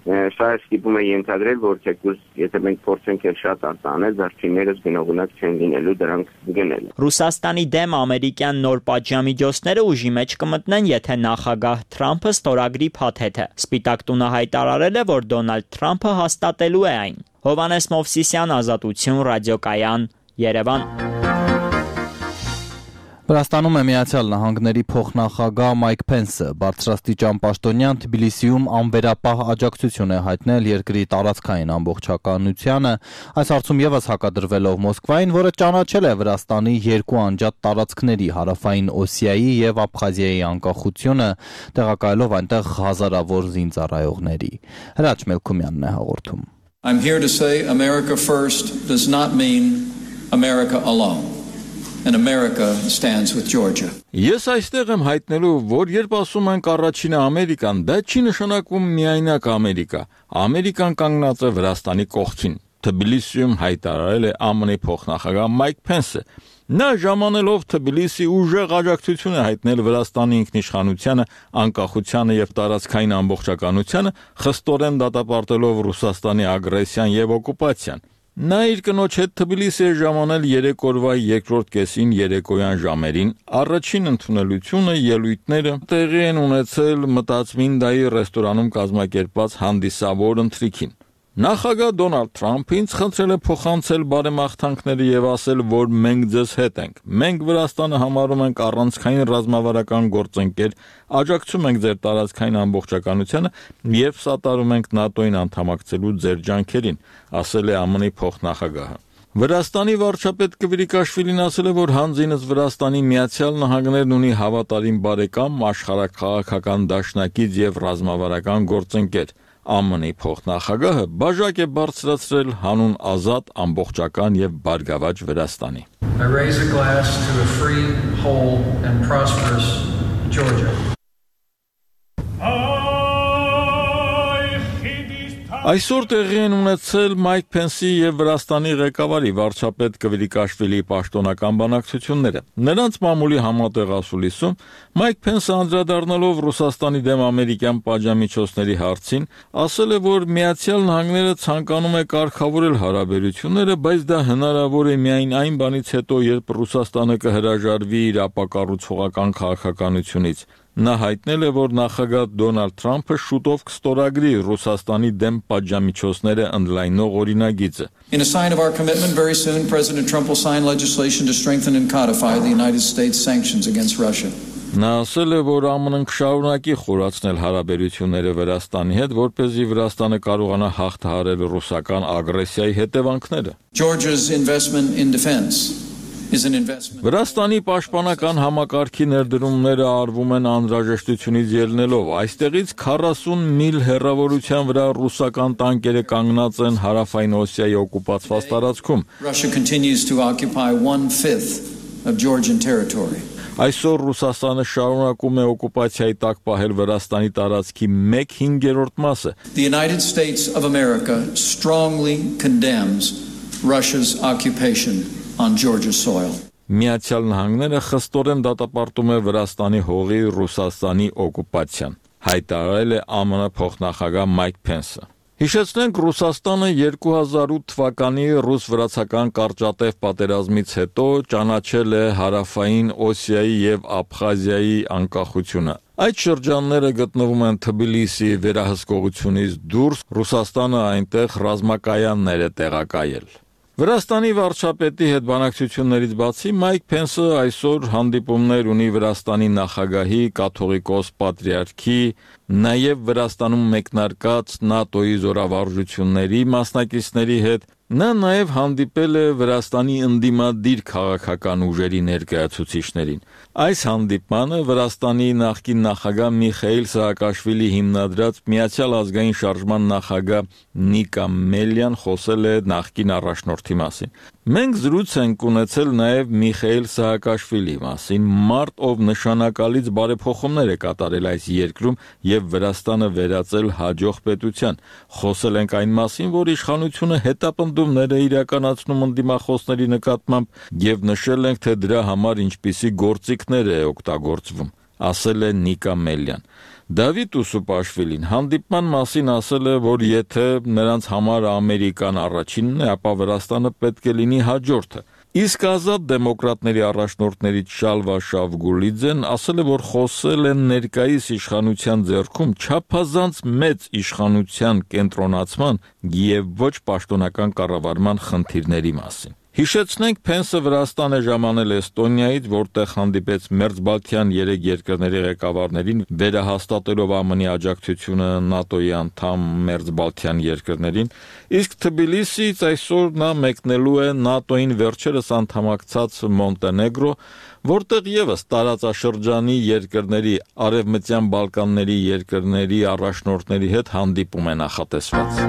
սա ստիպում է ենթադրել, որ թեկուզ եթե մենք փորձենք էլ շատ արտահանել, վերջիններս գնողունակ չեն լինելու դրանք գնել։ Ռուսաստանի դեմ ամերիկյան նոր պատժամիջոցները ուժի մեջ կմտնեն, եթե նախագահ Թրամփը ստորագրի փաթեթը։ Սպիտակ տունը հայտարարել է, որ Դոնալդ Թրամփը հաստատելու է այն։ Հովհաննես Մովսիսյան, Ազատություն, Ռադիոկայան, Երևան։ Վրաստանում է Միացյալ Նահանգների փոխնախագահ Մայք Փենսը, բարձրաստիճան պաշտոնյան Թբիլիսիում անվերապահ աջակցություն է հայտնել երկրի տարածքային ամբողջականությանը, այս հարցում եւս հակադրվելով Մոսկվային, որը ճանաչել է Վրաստանի երկու անջատ տարածքների հարավային Օսիայի եւ Աբխազիայի անկախությունը, տեղակայելով այնտեղ հազարավոր զինծառայողների։ Հրաչ Մելքումյանն է հաղորդում։ I'm here to say America first does not mean America alone. And America stands with Georgia. Ես այստեղ եմ հայտնելու, որ երբ ասում ենք առաջինը Ամերիկան, դա չի նշանակում միայնակ Ամերիկա։ Ամերիկան կանգնած է Վրաստանի կողքին։ Թբիլիսիում հայտարարել է ԱՄՆ-ի փոխնախագահ Մայք Փենսը։ Նա ժամանելով Թբիլիսի ուժեղ աջակցություն է հայտնել Վրաստանի ինքնիշխանությանը, անկախությանը եւ տարածքային ամբողջականությանը, խստորեն դատապարտելով Ռուսաստանի ագրեսիան եւ օկուպացիան։ Նա իր կնոջ հետ Թբիլիսի է ժամանել երեք օրվա երկրորդ կեսին երեկոյան ժամերին, առաջին ընդունելությունը ելույթները տեղի են ունեցել Մտածմինդայի ռեստորանում կազմակերպված հանդիսավոր ընթրիքին։ Նախագահ Դոնալդ Թրամփը ինձ խնդրել է փոխանցել բարեմաղթանքները եւ ասել, որ մենք ձեզ հետ ենք։ Մենք Վրաստանը համարում ենք առանցքային ռազմավարական գործընկեր, աջակցում ենք ձեր տարածքային ամբողջականությանը եւ սատարում ենք ՆԱՏՕ-ին անդամակցելու ձեր ջանքերին, ասել է ԱՄՆ-ի փոխնախագահը։ Վրաստանի վարչապետ Կվիրիկաշվիլին ասել է, որ հանձինս Վրաստանի Միացյալ Նահանգներն ունի հավատարիմ բարեկամ, աշխարհաքաղաքական դաշնակից եւ ռազմավարական գործընկեր։ ԱՄՆ-ի փոխնախագահը բաժակ է բարձրացրել հանուն ազատ, ամբողջական եւ բարգավաճ Վրաստանի։ I raise a glass to a free, whole and prosperous Georgia. Այսօր տեղի են ունեցել Մայք Փենսի եւ Վրաստանի ղեկավարի վարչապետ Կվիրիկաշվիլիի պաշտոնական բանակցությունները։ Նրանց մամուլի համատեղ ասուլիսում Մայք Փենսը անդրադառնալով Ռուսաստանի դեմ ամերիկյան պատժամիջոցների հարցին, ասել է, որ Միացյալ Նահանգները ցանկանում է կարգավորել հարաբերությունները, բայց դա հնարավոր է միայն այն բանից հետո, երբ Ռուսաստանը կհրաժարվի իր ապակառուցողական քաղաքականությունից։ Նա հայտնել է, որ նախագահ Դոնալդ Թրամփը շուտով կստորագրի Ռուսաստանի դեմ պատժամիջոցները ընդլայնող օրինագիծը։ In a sign of our commitment, very soon President Trump will sign legislation to strengthen and codify the United States sanctions against Russia. Նա ասել է, որ ԱՄՆ-ն կշարունակի խորացնել հարաբերությունները Վրաստանի հետ, որպեսզի Վրաստանը կարողանա հաղթահարել ռուսական ագրեսիայի հետևանքները։ Georgia's investment in defense is an investment. Վրաստանի պաշտպանական համակարգի ներդրումները արվում են անհրաժեշտությունից ելնելով։ Այստեղից քառասուն միլ հեռավորության վրա ռուսական տանկերը կանգնած են հարավային Օսիայի օկուպացված տարածքում։ Russia continues to occupy one-fifth of Georgian territory. Այսօր Ռուսաստանը շարունակում է օկուպացիայի տակ պահել Վրաստանի տարածքի մեկ հինգերորդ մասը։ The United States of America strongly condemns Russia's occupation on Georgia's soil. Միացյալ Նահանգները խստորեն դատապարտում է Վրաստանի հողի Ռուսաստանի օկուպացիան, հայտարարել է ԱՄՆ փոխնախագահ Մայք Փենսը։ Հիշեցնենք, Ռուսաստանը երկու հազար ութ թվականի ռուս-վրացական կարճատև պատերազմից հետո ճանաչել է հարավային Օսիայի եւ Աբխազիայի անկախությունը։ Այդ շրջանները գտնվում են Թբիլիսի վերահսկողությունից դուրս, Ռուսաստանը այնտեղ ռազմակայաններ է տեղակայել։ Վրաստանի վարչապետի հետ բանակցություններից բացի Մայք Փենսը այսօր հանդիպումներ ունի Վրաստանի նախագահի, կաթողիկոս պատրիարքի, նաև Վրաստանում մեկնարկած ՆԱՏՕ-ի զորավարժությունների մասնակիցների հետ։ Նա նաև հանդիպել է Վրաստանի ընդդիմադիր քաղաքական ուժերի ներկայացուցիչներին։ Այս հանդիպմանը Վրաստանի նախկին նախագահ Միխայիլ Սահակաշվիլի հիմնադրած Միացյալ ազգային շարժման նախագահ Նիկա Մելյան խոսել է նախկին առաջնորդի մասին։ Մենք զրույց ենք ունեցել նաև Միխայիլ Սահակաշվիլի մասին, մարդ, ով նշանակալից բարեփոխումներ է կատարել այս երկրում եւ Վրաստանը վերածել հաջող պետության։ Խոսել ենք այն մասին, որ իշխանությունը հետապնդումներ է իրականացնում ընդդիմախոսների նկատմամբ եւ նշել ենք, թե դրա համար ինչպիսի գործիքներ է օգտագործվում, ասել է Նիկա Մելյան։ Դավիթ Ուսուպաշվիլին հանդիպման մասին ասել է, որ եթե նրանց համար Ամերիկան առաջինն է, ապա Վրաստանը պետք է լինի հաջորդը։ Իսկ ազատ դեմոկրատների առաջնորդներից Շալվա Շավգուլիձեն ասել է, որ խոսել են ներկայիս իշխանության ձեռքում չափազանց մեծ իշխանության կենտրոնացման եւ ոչ պաշտոնական կառավարման խնդիրների մասին։ Հիշեցնենք, Փենսը Վրաստան է ժամանել Էստոնիայից, որտեղ հանդիպեց մերձբալթյան երեք երկրների ղեկավարներին, վերահաստատելով ԱՄՆ-ի աջակցությունը ՆԱՏՕ-ի անդամ մերձբալթյան երկրներին, իսկ Թբիլիսիից այսօր նա մեկնելու է ՆԱՏՕ-ին վերջերս անդամակցած Մոնտենեգրո, որտեղ եւս տարածաշրջանի երկրների, Արևմտյան Բալկանների երկրների առաջնորդների հետ հանդիպում է նախատեսված։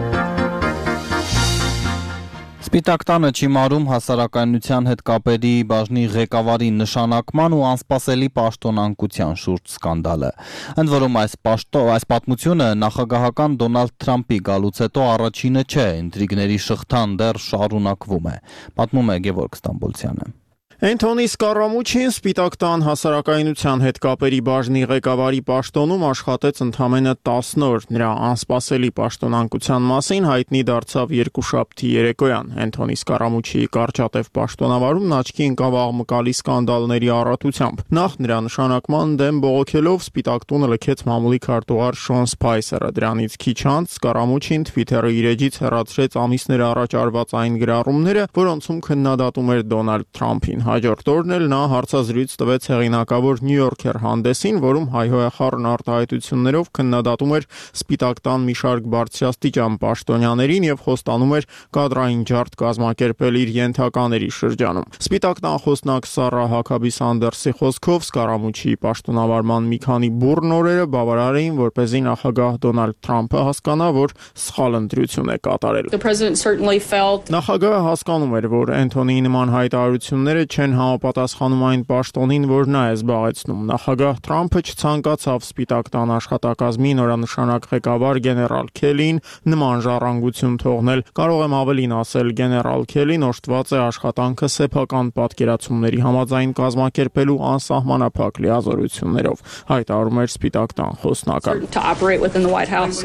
Սպիտակ տանը չիմարում հասարակայնության հետ կապերի բաժնի ղեկավարի նշանակման ու անսպասելի պաշտոնանկության շուրջ սկանդալը։ Ընդ որում այս պաշտո, այս պատմությունը նախագահական Դոնալդ Թրամփի գալուց հետո առաջինը չէ, ինտրիգների շղթան դեռ շարունակվում է, պատմում է Գևորգ Ստամբոլցյանը։ Էնթոնի Սկարամուչին Սպիտակ տան հասարակայնության հետ կապերի բաժնի ղեկավարի պաշտոնում աշխատեց ընդամենը տասն օր։ Նրա անսպասելի պաշտոնանկության մասին հայտնի դարձավ երկուշաբթի երեկոյան։ Էնթոնի Սկարամուչի կարճատև պաշտոնավարումն աչքի ընկավ աղմկալի սկանդալների առատությամբ։ Նախ նրա նշանակման դեմ բողոքելով Սպիտակ տունը լքեց մամուլի քարտուղար Շոն Սփայսերը։ Դրանից քիչ անց Սկարամուչին Twitter-ի իր էջից հեռացրեց ամիսներ առաջ արված այն գրառումները, որոնցում քննադատում էր Դոնալդ Թրամփին։ Հաջորդ օրն էլ նա հարցազրույց տվեց հեղինակավոր New Yorker հանդեսին, որում հայհոյախառն արտահայտություններով քննադատում էր Սպիտակ տան մի շարք բարձրաստիճան պաշտոնյաներին եւ խոստանում էր կադրային ջարդ կազմակերպել իր ենթակաների շրջանում։ Սպիտակ տան խոսնակ Սարա Հակաբի Սանդերսի խոսքով Սկարամուչի պաշտոնավարման մի քանի բուռն օրերը բավարար էին, որպեսզի նախագահ Դոնալդ Թրամփը հասկանա, որ սխալ ընտրություն է կատարել։ Նախագահը հասկանում էր, որ Էնթոնիի նման հայտարարությունները չեն համապատասխանում այն պաշտոնին, որ նա է զբաղեցնում։ Նախագահ Թրամփը չցանկացավ Սպիտակ տան աշխատակազմի նորանշանակ ղեկավար գեներալ Քելին նման ժառանգություն թողնել։ Կարող եմ ավելին ասել, գեներալ Քելին օժտված է աշխատանքը սեփական պատկերացումների համաձայն կազմակերպելու անսահմանափակ լիազորություններով, հայտարարում էր Սպիտակ տան խոսնակը։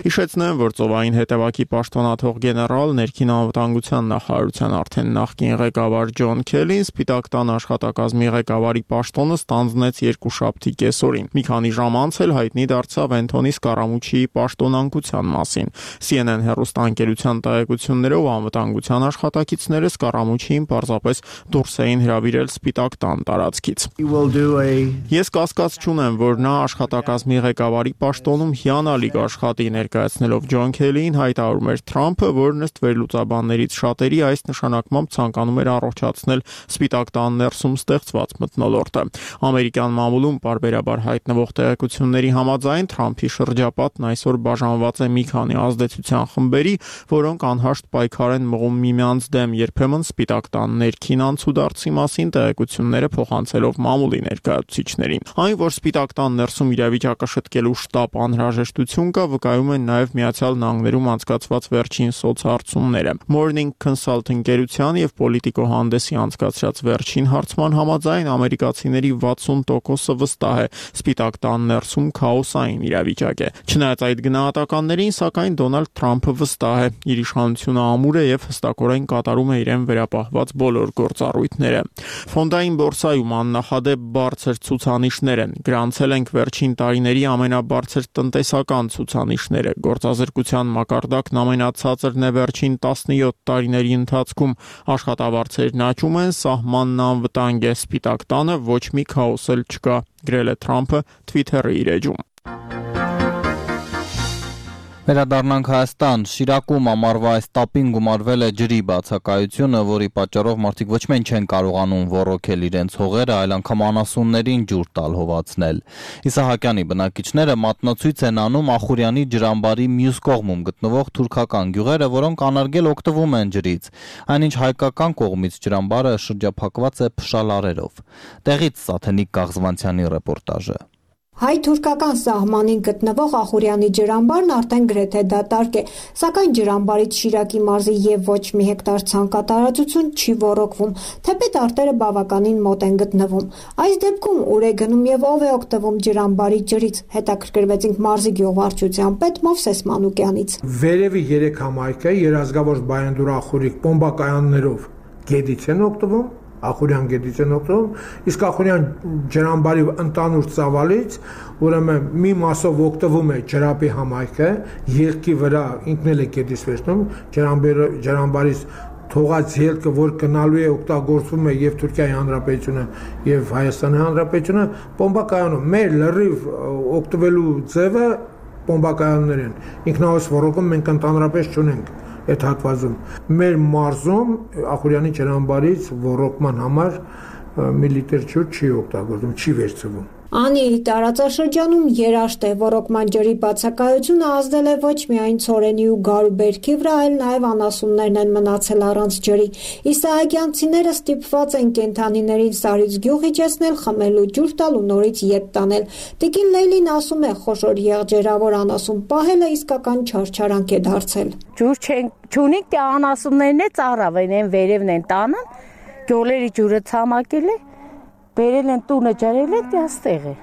Հիշեցնեմ, որ ծովային հետևակի պաշտոնաթող գեներալ ներքին անվտանգության նախարարության արդեն նախկին ղեկավար Ջոն Քելին Սպիտակ տան աշխատակազմի ղեկավարի պաշտոնը ստանձնեց երկուշաբթի կեսօրին։ Մի քանի ժամ անց էլ հայտնի դարձավ Էնթոնի Սկարամուչիի պաշտոնանկության մասին։ C N N հեռուստաընկերության տեղեկություններով անվտանգության աշխատակիցները Սկարամուչիին պարզապես դուրս էին հրավիրել Սպիտակ տան տարածքից։ Ես կասկած չունեմ, որ նա աշխատակազմի ղեկավարի պաշտոնում հիանալի կաշխատի, ներկայացնելով Ջոն Քելիին հայտարարում էր Թրամփը, որ ըստ վերլուծաբաններից շատերի այս նշանակմամբ ցանկանում էր առողջացնել Սպիտակ տան սպիտակտան ներսում ստեղծված մթնոլորտը։ Ամերիկյան մամուլում պարբերաբար հայտնվող տեղեկությունների համաձայն Թրամփի շրջապատն այսօր բաժանված է մի քանի ազդեցության խմբերի, որոնք անհաշտ պայքար են մղում միմյանց դեմ, երբեմն սպիտակտան ներքին անցուդարձի մասին տեղեկությունները փոխանցելով մամուլի ներկայացուցիչներին։ Այն, որ սպիտակտան ներսում իրավիճակը շտկելու շտապ անհրաժեշտություն կա, վկայում են նաև Միացյալ Նահանգներում անցկացված վերջին սոցհարցումները։ Morning Consult ընկերության եւ Politico հանդեսի անցկացրած վերջին հարցման համաձայն ամերիկացիների վաթսուն տոկոսը վստահ է սպիտակտան ներսում քաոսային իրավիճակ է։ Չնայած այդ գնահատականներին, սակայն Դոնալդ Թրամփը վստահ է, իր իշխանությունը ամուր է եւ հստակորեն կատարում է իրեն վերապահված բոլոր գործառույթները։ Ֆոնդային բորսայում աննախադեպ բարձր ցուցանիշներ են։ Գրանցել ենք վերջին տարիների ամենաբարձր տնտեսական ցուցանիշները։ Գործազրկության մակարդակն ամենացածրն է վերջին տասնյոթ տարիների ընթացքում։ Աշխատավարձերն աճում են, սահմանն անվտանգ է, սպիտակ տանը ոչ մի քաոս էլ չկա, գրել է Թրամփը Twitter-ի իր էջում։ Վերադառնանք Հայաստան, Շիրակում ամառվա այս տապին գումարվել է ջրի բացակայությունը, որի պատճառով մարդիկ ոչ միայն չեն կարողանում ոռոգել իրենց հողերը, այլ անգամ անասուններին ջուր տալ հովացնել։ Իսահակյանի բնակիչները մատնացույց են անում Ախուրյանի ջրամբարի մյուս կողմում գտնվող թուրքական գյուղերը, որոնք անարգել օգտվում են ջրից։ Այնինչ հայկական կողմից ջրամբարը շրջափակված է փշալարերով։ Տեղից Սաթենիկ Գաղզվանցյանի ռեպորտաժը։ Հայ-թուրքական սահմանին գտնվող Ախուրյանի ջրամբարն արդեն գրեթե դատարկ է, սակայն ջրամբարից Շիրակի մարզի եւ ոչ մի հեկտար ցանկատարածություն չի ոռոգվում, թեպետ արտերը բավականին մոտ են գտնվում։ Այս դեպքում ուր է գնում եւ ով է օգտվում ջրամբարի ջրից, հետաքրքրվեցինք մարզի գյուղվարչության պետ Մովսես Մանուկյանից։ Վերևի երեք համայնքը երազգավոր Բայանդուր Ախուրիկ պոմբակայաններով գետից են օգտվում, Ախուրյան գետից են օգտվում, իսկ Ախուրյան ջրամբարի ընդանուր ծավալից ուրեմն մի մասով օգտվում է ջրապի համայնքը, ելքի վրա ինքն էլ է գետից վերցնում, ջրամբարից թողած ելքը, որ գնալու է օգտագործվում է եւ Թուրքիայի Հանրապետությունը եւ Հայաստանի Հանրապետությունը, պոմբակայանում մեր լրիվ օգտվելու ձևը պոմբակայաններ են։ Ինքնահոս ոռոգում մենք ընդհանրապես չունենք այդ հատվածում։ Մեր մարզում Ախուրյանի ջրամբարից ոռոգման համար մի լիտր ջուր չի օգտագործվում, չի վերցվում։ Անիի տարածաշրջանում երաշտ է, ոռոգման ջրի բացակայությունը ազդել է ոչ միայն ցորենի ու գարու բերքի վրա, այլ նաև անասուններն են մնացել առանց ջրի։ Իսահակյանցիները ստիպված են կենդանիներին Սարից գյուղ իջեցնել, խմելու ջուր տալ ու նորից ետ տանել։ Տիկին Լեյլին ասում է, խոշոր եղջերավոր անասուն պահելը իսկական չարչարանք է դարձել։ Ջուր չունենք, թե անասուններն է ծառավեն են վերևն են տանը, գյուղերի ջուրը ցամաքել է, բերել են տունը ջարել են, դե աստեղ է։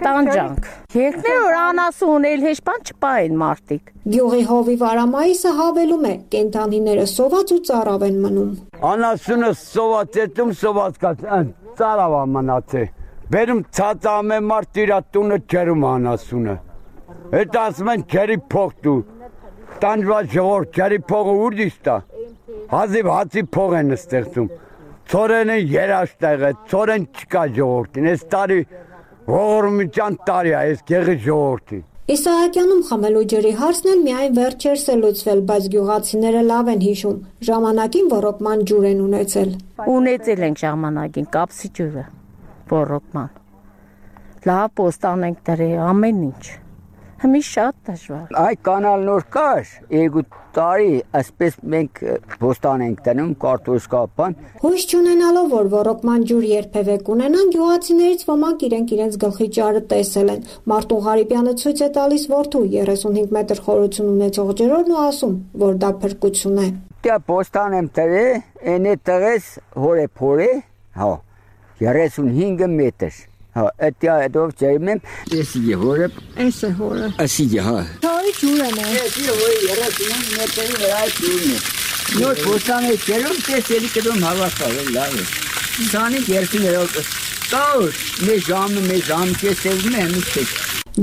Տանջանք։ Երկներ որ անասուն էլ հեշտան չպային մարդիկ։ Գյուղի հովի վարամայիսը հավելում է, կենդանիները սոված ու ծարավ են մնում։ Անասունը սոված էտում սոված կաց, ծարավ մնաց է։ Բերում ցածամ է մարդ իր տունը ջերում անասունը։ Այդ ասում են ջերի փող դու։ Տանջված ժողովուրդ ջերի փողը ուր դիստա։ Հազիվ հացի փող են ստեղծում։ Ցորենը երաշտեղ է, ցորեն չկա ժողովրդին, այս տարի ողորմության տարի է, այս գեղի ժողովրդի։ Իսահակյանում խմելու ջրի հարցն էլ միայն վերջերս է լուծվել, բայց գյուղացիները լավ են հիշում, ժամանակին ոռոգման ջուր են ունեցել։ Ունեցել ենք ժամանակին կապսի ջուրը, ոռոգման։ Լավ պոստան ենք դրել, ամեն ինչ։ Հիմի շատ դժվար։ Այ կանալ նոր կար, երկու տարի այսպես մենք պոստան ենք դնում կարտոշկա բան։ Հույս չունենալով, որ ոռոգման ջուր երբևէ կունենան, գյուղացիներից ոմանք իրենք իրենց գլխի ճարը տեսել են։ Մարտուն Ղարիպյանը ցույց է տալիս որդու երեսունհինգ մետր խորություն ունեցող ջրորն ու ասում, որ դա փրկություն է։ Դա պոստան եմ դրել, այնե տղես հորե փորե, հա, երեսունհինգ մետր։ Հա, այդտեղ այդով ջերմ եմ, էսի հորը, էսը հորը։ Ասի հա։ Թարի ջուր եմ։ Էսի հորը երեսունհինգ մետրի վրա ջուրն է։ Նոր պոստան է ջերում, տեսելի կդոմ հավաքվել, լավ է։ Սանի երկիներով տաուր, մի ժամը, մի ժամ կեսևում է, մի չեք։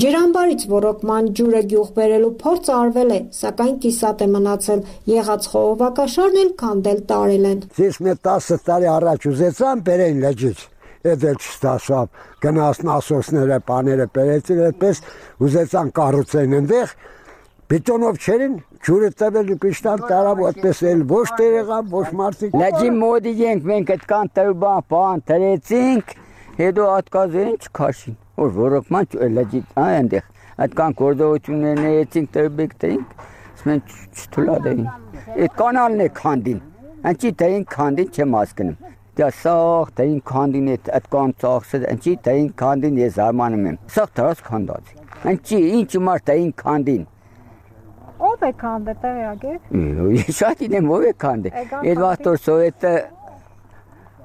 Ջրամբարից ոռոգման ջուրը գյուղ բերելու փորձ արվել է, սակայն կիսատ է մնացել, եղած խողովակաշարն էլ քանդել տարել են։ Ես մի տասը տարի առաջ ուզեցամ բերեն լեջից, այդ էլ չստացավ, գնացն ասոսները, պաները բերեցին, այդպես ուզեցան կառուցեն այնտեղ, բետոնով չերին, ջուրը տվել կշտան տարավ այդպես էլ ոչ տերեղավ, ոչ մարդիկ։ Լաջի մոդի ենք մենք այդ կան տվան բան տրեցինք, հետո ատկազեն չքաշին։ Որ ռոռոկման լաջի այնտեղ այդ կան գործողություններն էցինք տվեք տենք, ասեն չթուլադեին։ Այդ կանալն է քանդին։ Անչի տային քանդին չեմ հասկանում։ Դա սաղ տային քանդին այդ կան ծախսը, անչի տային քանդին ես զարմանում եմ։ Սաղ դրած քանդած։ Անչի ինչ մարդ տային քանդին։ Ով է քանդը տեղյակ եք։ Ես շատ ինեմ ով է քանդը։ Այդ վաղտոր սովետը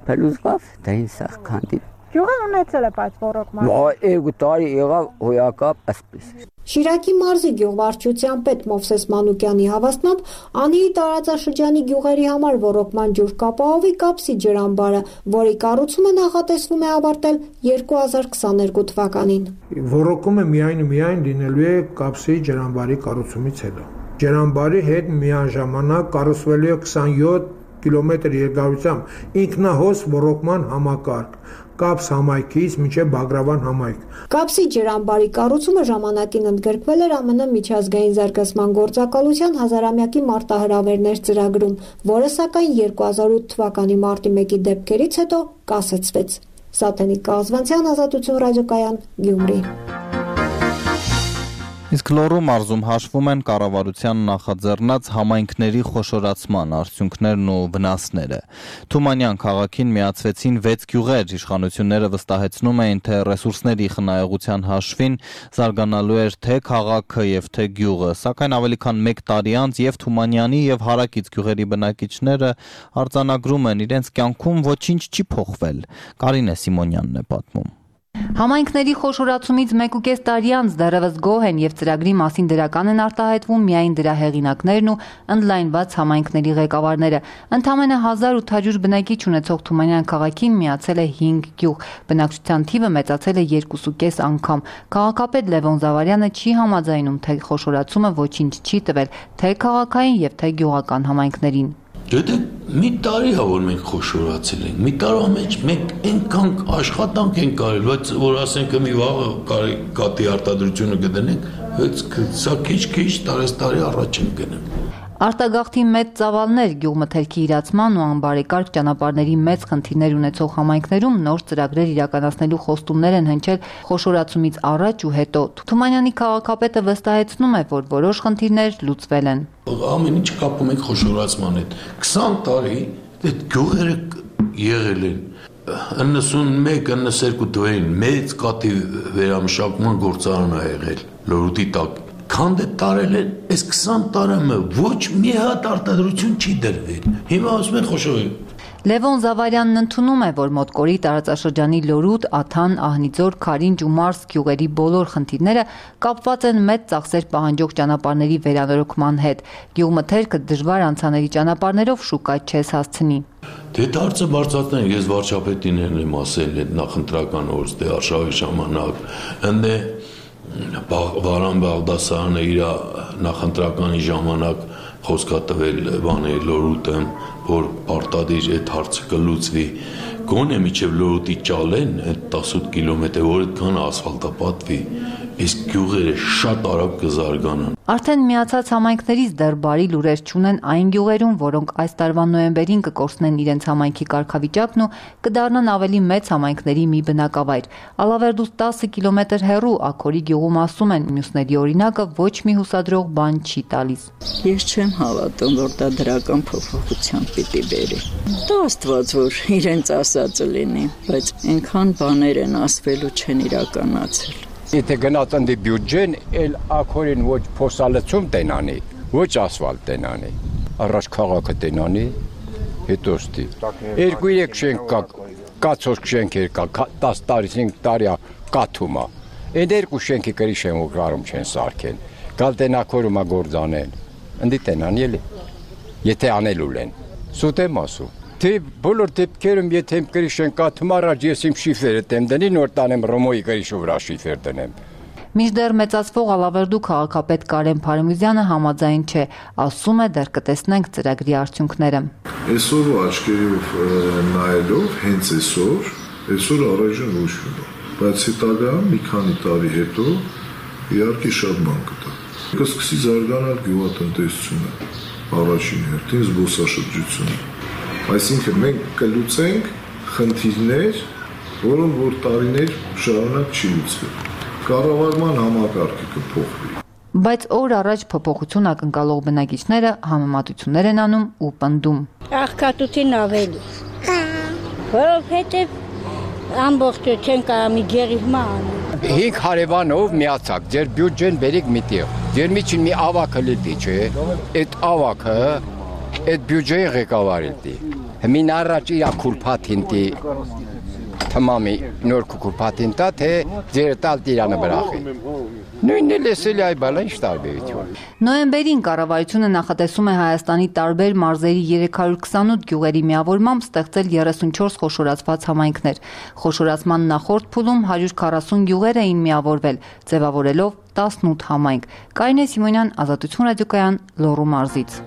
փլուզկավ տային սաղ քանդին։ Գյուղը ունեցել է բայց ռոռոկման։ Երկու տարի եղավ հոյակապ ասպես։ Շիրակի մարզի գյուղվարչության պետ Մովսես Մանուկյանի հավաստմամբ Անիի տարածաշրջանի գյուղերի համար ռոռոկման ջուր կապահովի կապսի ջրամբարը, որի կառուցումը նախատեսվում է ավարտել երկու հազար քսաներկու թվականին։ Ռոռոկումը միայն միայն լինելու է կապսի ջրամբարի կառուցումից հետո։ Ջրամբարի հետ միաժամանակ կառուցվելու է քսանյոթ կիլոմետր երկարությամբ ինքնահոս ռոռոկման համակարգ կապս համայնքից մինչև Բագրավան համայնք։ Կապսի ջրամբարի կառուցումը ժամանակին ընդգրկվել էր ԱՄՆ միջազգային զարգացման գործակալության հազարամյակի մարտահրավերներ ծրագրում, որը սակայն երկու հազար ութ թվականի մարտի մեկի դեպքերից հետո կասեցվեց։ Սատենիկ Կազվանցյան, Ազատություն ռադիոկայան, Գյումրի։ Իսկ Լոռու մարզում հաշվում են կառավարության նախաձեռնած համայնքների խոշորացման արդյունքներն ու վնասները։ Թումանյան քաղաքին միացվեցին վեց գյուղեր, իշխանությունները վստահեցնում էին, թե ռեսուրսների խնայողության հաշվին զարգանալու էր թե քաղաքը եւ թե գյուղը, սակայն ավելի քան մեկ տարի անց եւ Թումանյանի եւ հարակից գյուղերի բնակիչները արձանագրում են, իրենց կյանքում ոչինչ չի փոխվել։ Կարինե Սիմոնյանն է պատմում։ Համայնքների խոշորացումից մեկ ու կես տարի անց դեռևս գոհ են եւ ծրագրի մասին դրական են արտահայտվում միայն դրա հեղինակներն ու ընդլայնված համայնքների ղեկավարները։ Ընդամենը հազար ութ հարյուր բնակիչ ունեցող Թումանյան քաղաքին միացել է հինգ գյուղ։ Բնակչության թիվը մեծացել է երկուսուկես անգամ։ Քաղաքապետ Լևոն Զավարյանը չի համաձայնում, թե խոշորացումը ոչինչ չի տվել թե քաղաքային եւ թե գյուղական համայնքներին։ Դե մի տարի հա որ մենք խոշորացել ենք, մի տարվա մեջ մենք այնքան աշխատանք ենք կարել, բայց որ ասենք մի վաղը կարի կատի արտադրությունը կդնենք, սա քիչ-քիչ տարեստարի առաջ ենք գնում։ Արտագաղթի մեծ ծավալներ, գյուղմթերքի իրացման ու անբարեկարգ ճանապարհների մեծ խնդիրներ ունեցող համայնքներում նոր ծրագրեր իրականացնելու խոստումներ են հնչել խոշորացումից առաջ ու հետո։ Թումանյանի քաղաքապետը վստահեցնում է, որ որոշ խնդիրներ լուծվել են։ Ամեն ինչ կապում ենք խոշորացման հետ։ քսան տարի այդ գյուղերը եղել են իննսունմեկ իննսերկու թվականին մեծ կատի վերամշակման գործարան ա եղել Լոռուտի տակ։ Քանդ է տարել են, այս քսան տարամը ոչ մի հատ արտադրություն չի դրվել։ Հիմա ասում են խոշորել։ Լևոն Զավարյանն ընդունում է, որ Մոտկորի տարածաշրջանի Լոռուտ, Աթան, Ահնիձոր, Քարինջ ու Մարս գյուղերի բոլոր խնդիրները կապված են մեծ ծախսեր պահանջող ճանապարհների վերանորոգման հետ։ Գյուղմթերքը դժվար անցանելի ճանապարհներով շուկա չես հասցնի։ Դե դարձը բարձրացնեն, ես վարչապետին եմ ասել այդ նախընտրական օրս դե արշավի ժամանակ, ընդ է Վարան Բաղդասարյանը իր նախընտրականի ժամանակ խոսքա տվել բանի Լոռուտը, որ պարտադիր այդ հարցը կլուծվի։ Գոնե միջև Լոռուտի ճալեն այդ տասնութ կիլոմետր, որ այդքան ասֆալտապատվի, իսկ գյուղերը շատ արագ կզարգանան։ Արդեն միացած համայնքներից դեռ բարի լուրեր չունեն այն գյուղերում, որոնք այս տարվա նոյեմբերին կկորցնեն իրենց համայնքի կարգավիճակն ու կդառնան ավելի մեծ համայնքների մի բնակավայր։ Ալավերդուց տասը կիլոմետր հեռու Աքորի գյուղում ասում են, մյուսների օրինակը ոչ մի հուսադրող բան չի տալիս։ Ես չեմ հավատում, որ դա դրական փոփոխություն պիտի բերի։ Դա Աստված որ իրենց ասածը լինի, բայց այնքան բաներ են ասվելու չեն իրականացել։ Եթե գնաց ընդի բյուջեն, էլ Աքորին ոչ փոսալցում տենանի, ոչ ասֆալտ տենանի, առաջ քաղաքը տենանի, հետո ստի։ Երկու երեք շենք կա, կացող շենքեր կա, տասը տարի, հինգ տարի կաթում է։ Այդ երկու շենքի կրիշ են ու գարում չեն սարքեն։ Գալ տեն Աքորում գործանեն, ընդի տենան էլի։ Եթե անելու են, սուտ եմ ասում։ Թե բոլոր դեպքերում եթե իմ կրիշեն կաթում առաջ ես իմ շիֆերը տեմ դնի, նոր տանեմ Ռոմոյի կրիշու վրա շիֆեր դնեմ։ Մինչդեռ մեծացվող Ալավերդու քաղաքապետ Կարեն Փարմյուզյանը համաձայն չէ, ասում է դեռ կտեսնենք ծրագրի արդյունքները։ Այսօր աչքերով նայելով հենց այսօր, այսօր առայժմ ոչ մի բան, բայց հետագայում մի քանի տարի հետո իհարկե շատ բան կտա։ Կսկսի զարգանալ գյուղատնտեսությունը, առաջին հերթին զբոսաշրջությունը։ Այսինքն մենք կլուծենք խնդիրներ, որոնք որ տարիներ շարունակ չի լուծվել։ Կառավարման համակարգը կփոխվի։ Բայց օր առաջ փոփոխություն ակնկալող բնակիչները համեմատություններ են անում ու պնդում։ Աղքատություն ավելի։ Որովհետև ամբողջություն կարամի գերիհմա անում։ Հինգ հարևանով միացակ, ձեր բյուջեն բերիկ միտեղ։ Ձեր միջին մի ավակը լիտի, չէ։ Այդ ավակը, այդ բյուջեի ղեկավարի դի։ Հմին առաջ իրա քուրփաթին դի թմամի նոր քուրփաթին տա, թե ձեր տալ տիրանը բրախի։ Նույնն էլ էսելի այ բալա ինչ տարբերություն։ Նոյեմբերին կառավարությունը նախատեսում է Հայաստանի տարբեր մարզերի երեք հարյուր քսանութ գյուղերի միավորմամբ ստեղծել երեսունչորս խոշորացված համայնքներ։ Խոշորացման նախորդ փուլում հարյուր քառասուն գյուղեր էին միավորվել, ձևավորելով տասնութ համայնք։ Կարինե Սիմոնյան, Ազատություն ռադիոկայան, Լոռու մարզից։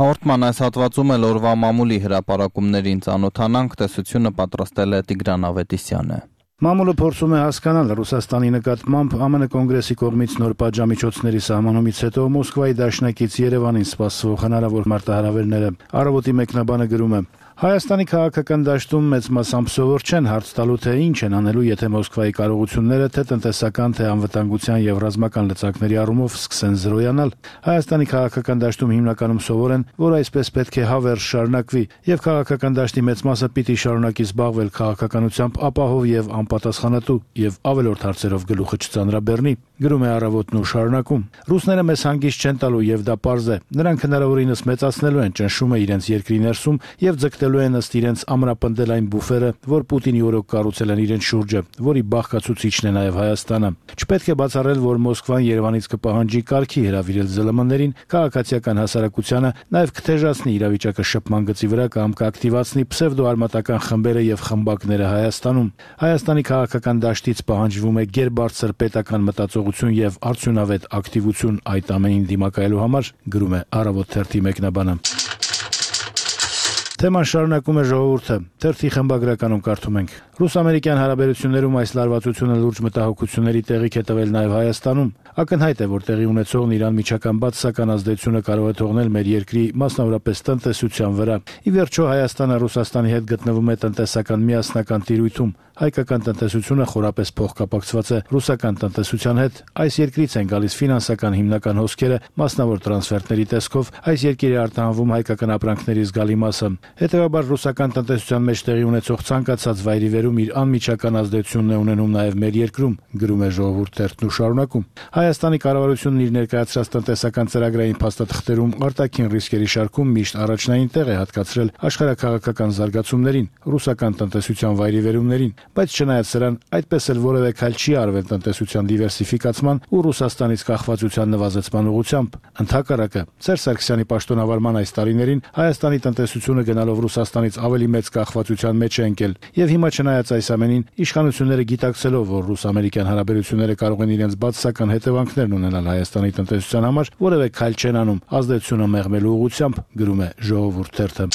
Հաղորդման այս հատվածում էլ օրվա մամուլի հրապարակումներին ծանոթանանք, տեսությունը պատրաստել է Տիգրան Ավետիսյանը։ Մամուլը փորձում է հասկանալ Ռուսաստանի նկատմամբ Ամն կոնգրեսի կողմից նոր պատժամիջոցների սահմանումից հետո Մոսկվայի դաշնակից Երևանին սպասվող հնարավոր մարտահրավերները։ Առավոտի մեկնաբանը գրում է. Հայաստանի քաղաքական դաշտում մեծ մասամբ սովոր չեն հարց տալու, թե ինչ են անելու, եթե Մոսկվայի կարողությունները թե տնտեսական, թե անվտանգության եւ ռազմական լծակների առումով սկսեն զրոյանալ։ Հայաստանի քաղաքական դաշտում հիմնականում սովոր են, որ այսպես պետք է հավերժ շարունակվի, եւ քաղաքական դաշտի մեծ մասը պիտի շարունակի զբաղվել քաղաքականությամբ ապահով եւ անպատասխանատու եւ ավելորդ հարցերով գլուխը չծանրաբեռնի։ Գրում է Առավոտն ու շարունակում. Ռուսները մեզ հանգիստ չեն տալու եւ դա պարզ է։ Նրանք հնարավորինս մեծացնելու են ճնշումը իրենց երկրի ներսում եւ ձգտելու են ըստ իրենց ամրապնդել այն բուֆերը, որ Պուտինի օրոք կառուցել են իրենց շուրջը, որի բաղկացուցիչն է նաեւ Հայաստանը։ Չպետք է բացառել, որ Մոսկվան Երևանից կպահանջի կարգի հրավիրել ԶԼՄ-ներին, քաղաքացիական հասարակությանը, նաեւ կթեժացնի իրավիճակը շփման գծի վրա կամ կակտիվացնի պսևդոարմատական խմբերը եւ խմբակները Հայաստանում։ Հայաստանի քաղաքական դաշտից պահանջվում է գերբարձր պետական մտածողություն եւ արդյունավետ ակտիվություն այդ ամենին դիմակայելու համար, գրում է Առավոտ թերթի մեկնաբանը։ Թեման շարունակում է ժողովուրդը։ Թերթի խմբագրականում կարդում ենք. Ռուս-ամերիկյան հարաբերություններում այս լարվածությունը լուրջ մտահոգությունների տեղիք է տվել նաև Հայաստանում։ Ակնհայտ է, որ տեղի ունեցողն իրան միջական բացասական ազդեցությունը կարող է թողնել մեր երկրի, մասնավորապես տնտեսության վրա։ Ի վերջո Հայաստանը Ռուսաստանի հետ գտնվում է տնտեսական միասնական տիրույթում։ Հայկական տնտեսությունը խորապես փոխկապակցված է ռուսական տնտեսության հետ։ Այս երկրից են գալիս ֆինանսական հիմնական հոսքերը, մասնավոր տրանսֆերտների տեսքով այս երկիրը արտահանվում հայկական ապրանքների զգալի մասը։ Հետևաբար ռուսական տնտեսության մեջ տեղի ունեցող ցանկացած վայրիվերում իր անմիջական ազդեցությունն է ունենում նաև մեր երկրում, գրում է Ժողովուրդ թերթն ու շարունակում։ Հայաստանի կառավարությունն իր ներկայացրած տնտեսական ծրագրային փաստաթղթերում արտաքին ռիսկերի շարքում միշտ առաջնային տեղ է հատկացրել աշխարհաքաղաքական զարգացումներին, ռուսական տնտեսության վայրիվերումներին, բայց չնայած սրան, այդպես էլ որևէ քայլ չի արվել տնտեսության դիվերսիֆիկացման ու Ռուսաստանից կախվածության նվազեցման ուղղությամբ։ Ընդհակառակը, Սերժ Սարգսյանի պաշտոնավարման այս տարիներին Հայաստանի տնտեսությունը գնալով Ռուսաստանից ավելի մեծ կախվածության մեջ է ընկել, եւ հիմա չնայած այս ամենին, իշխանությունները գիտակցելով, որ ռուս-ամերիկյան հարաբերությունները կարող են իրենց բացասական հետևանքներն ունենալ Հայաստանի տնտեսության համար, որևէ քայլ չեն անում ազդեցությունը մեղմելու ուղղությամբ, գրում է Ժողովուրդ թերթը։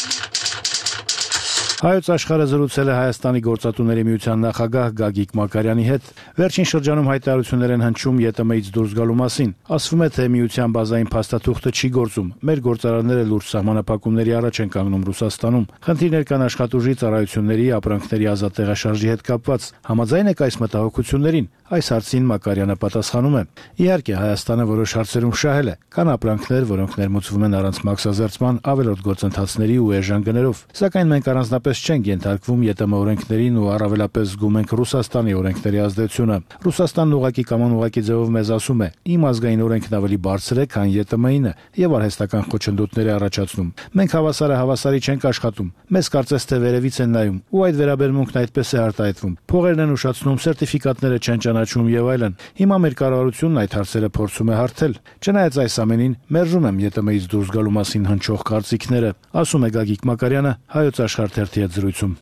Հայոց աշխարհը զրուցել է Հայաստանի գործատուների միության նախագահ Գագիկ Մակարյանի հետ։ Վերջին շրջանում հայտարարություններ են հնչում ԵՏՄ-ից դուրս գալու մասին։ Ասվում է, թե միության բազային փաստաթուղթը չի գործում։ Մեր գործարանները լուրջ սահմանափակումների առաջ են կանգնում Ռուսաստանում։ Խնդիրներ կան աշխատուժի, ծառայությունների, ապրանքների ազատ տեղաշարժի հետ կապված։ Համաձայն եք այս մտահոգություններին։ Այս հարցին Մակարյանը պատասխանում է. Իհարկե, Հայաստանը որոշ հարցերում շահել է։ Կան ապրանքներ, որոնք ներմուծվում են առանց մաքսազերծման, ավելորդ գործընթացների ու էժան գներով։ Սակայն մենք առանձնապես չենք ենթարկվում ԵՏՄ օրենքներին ու առավելապես զգում ենք Ռուսաստանի օրենքների ազդեցությունը։ Ռուսաստանն ուղղակի կամ անուղղակի ձևով մեզ ասում է. իմ ազգային օրենքն ավելի բարձր է, քան ԵՏՄ-ինը, եւ արհեստական խոչընդոտներ է առաջացնում։ Մենք հավասարը հավասարի չենք աշխատում։ Մեզ կարծես թե վերևից են նայում, ու այդ վերաբերմունքն այդպես է արտահայտվում։ Փողերն են ուշացնում, սերտիֆիկատները չեն ճանաչում եւ այլն։ Հիմա մեր կառավարությունն այդ հարցերը փորձում է հարթել։ Չնայած այս ամենին, մերժում եմ ԵՏՄ-ից դուրս գալու մասին հնչող կարծիքները, ասում է Գագիկ Մակարյանը Հայոց աշխարհ թերթի հետ զրույցում։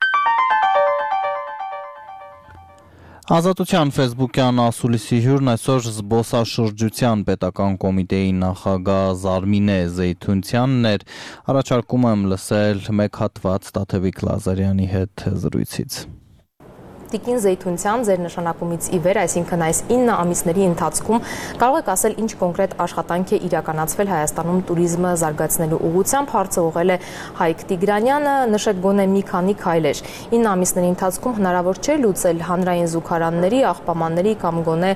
Ազատության ֆեյսբուքյան ասուլիսի հյուրն այսօր զբոսաշրջության պետական կոմիտեի նախագահ Զարմինե Զեյթունցյանն էր։ Առաջարկում եմ լսել մեկ հատված Տաթևիկ Լազարյանի հետ զրույցից։ Տիկին Զեյթունցյան, ձեր նշանակումից ի վեր, այսինքն այս ինը ամիսների ընթացքում կարող եք ասել ինչ կոնկրետ աշխատանք է իրականացվել Հայաստանում туриզմը զարգացնելու ուղղությամբ, հարցը ուղղել է Հայկ Տիգրանյանը, նշեք գոնե մի քանի քայլեր։ ինը ամիսների ընթացքում հնարավոր չէ լուծել հանրային զուգարանների, աղբամանների կամ գոնե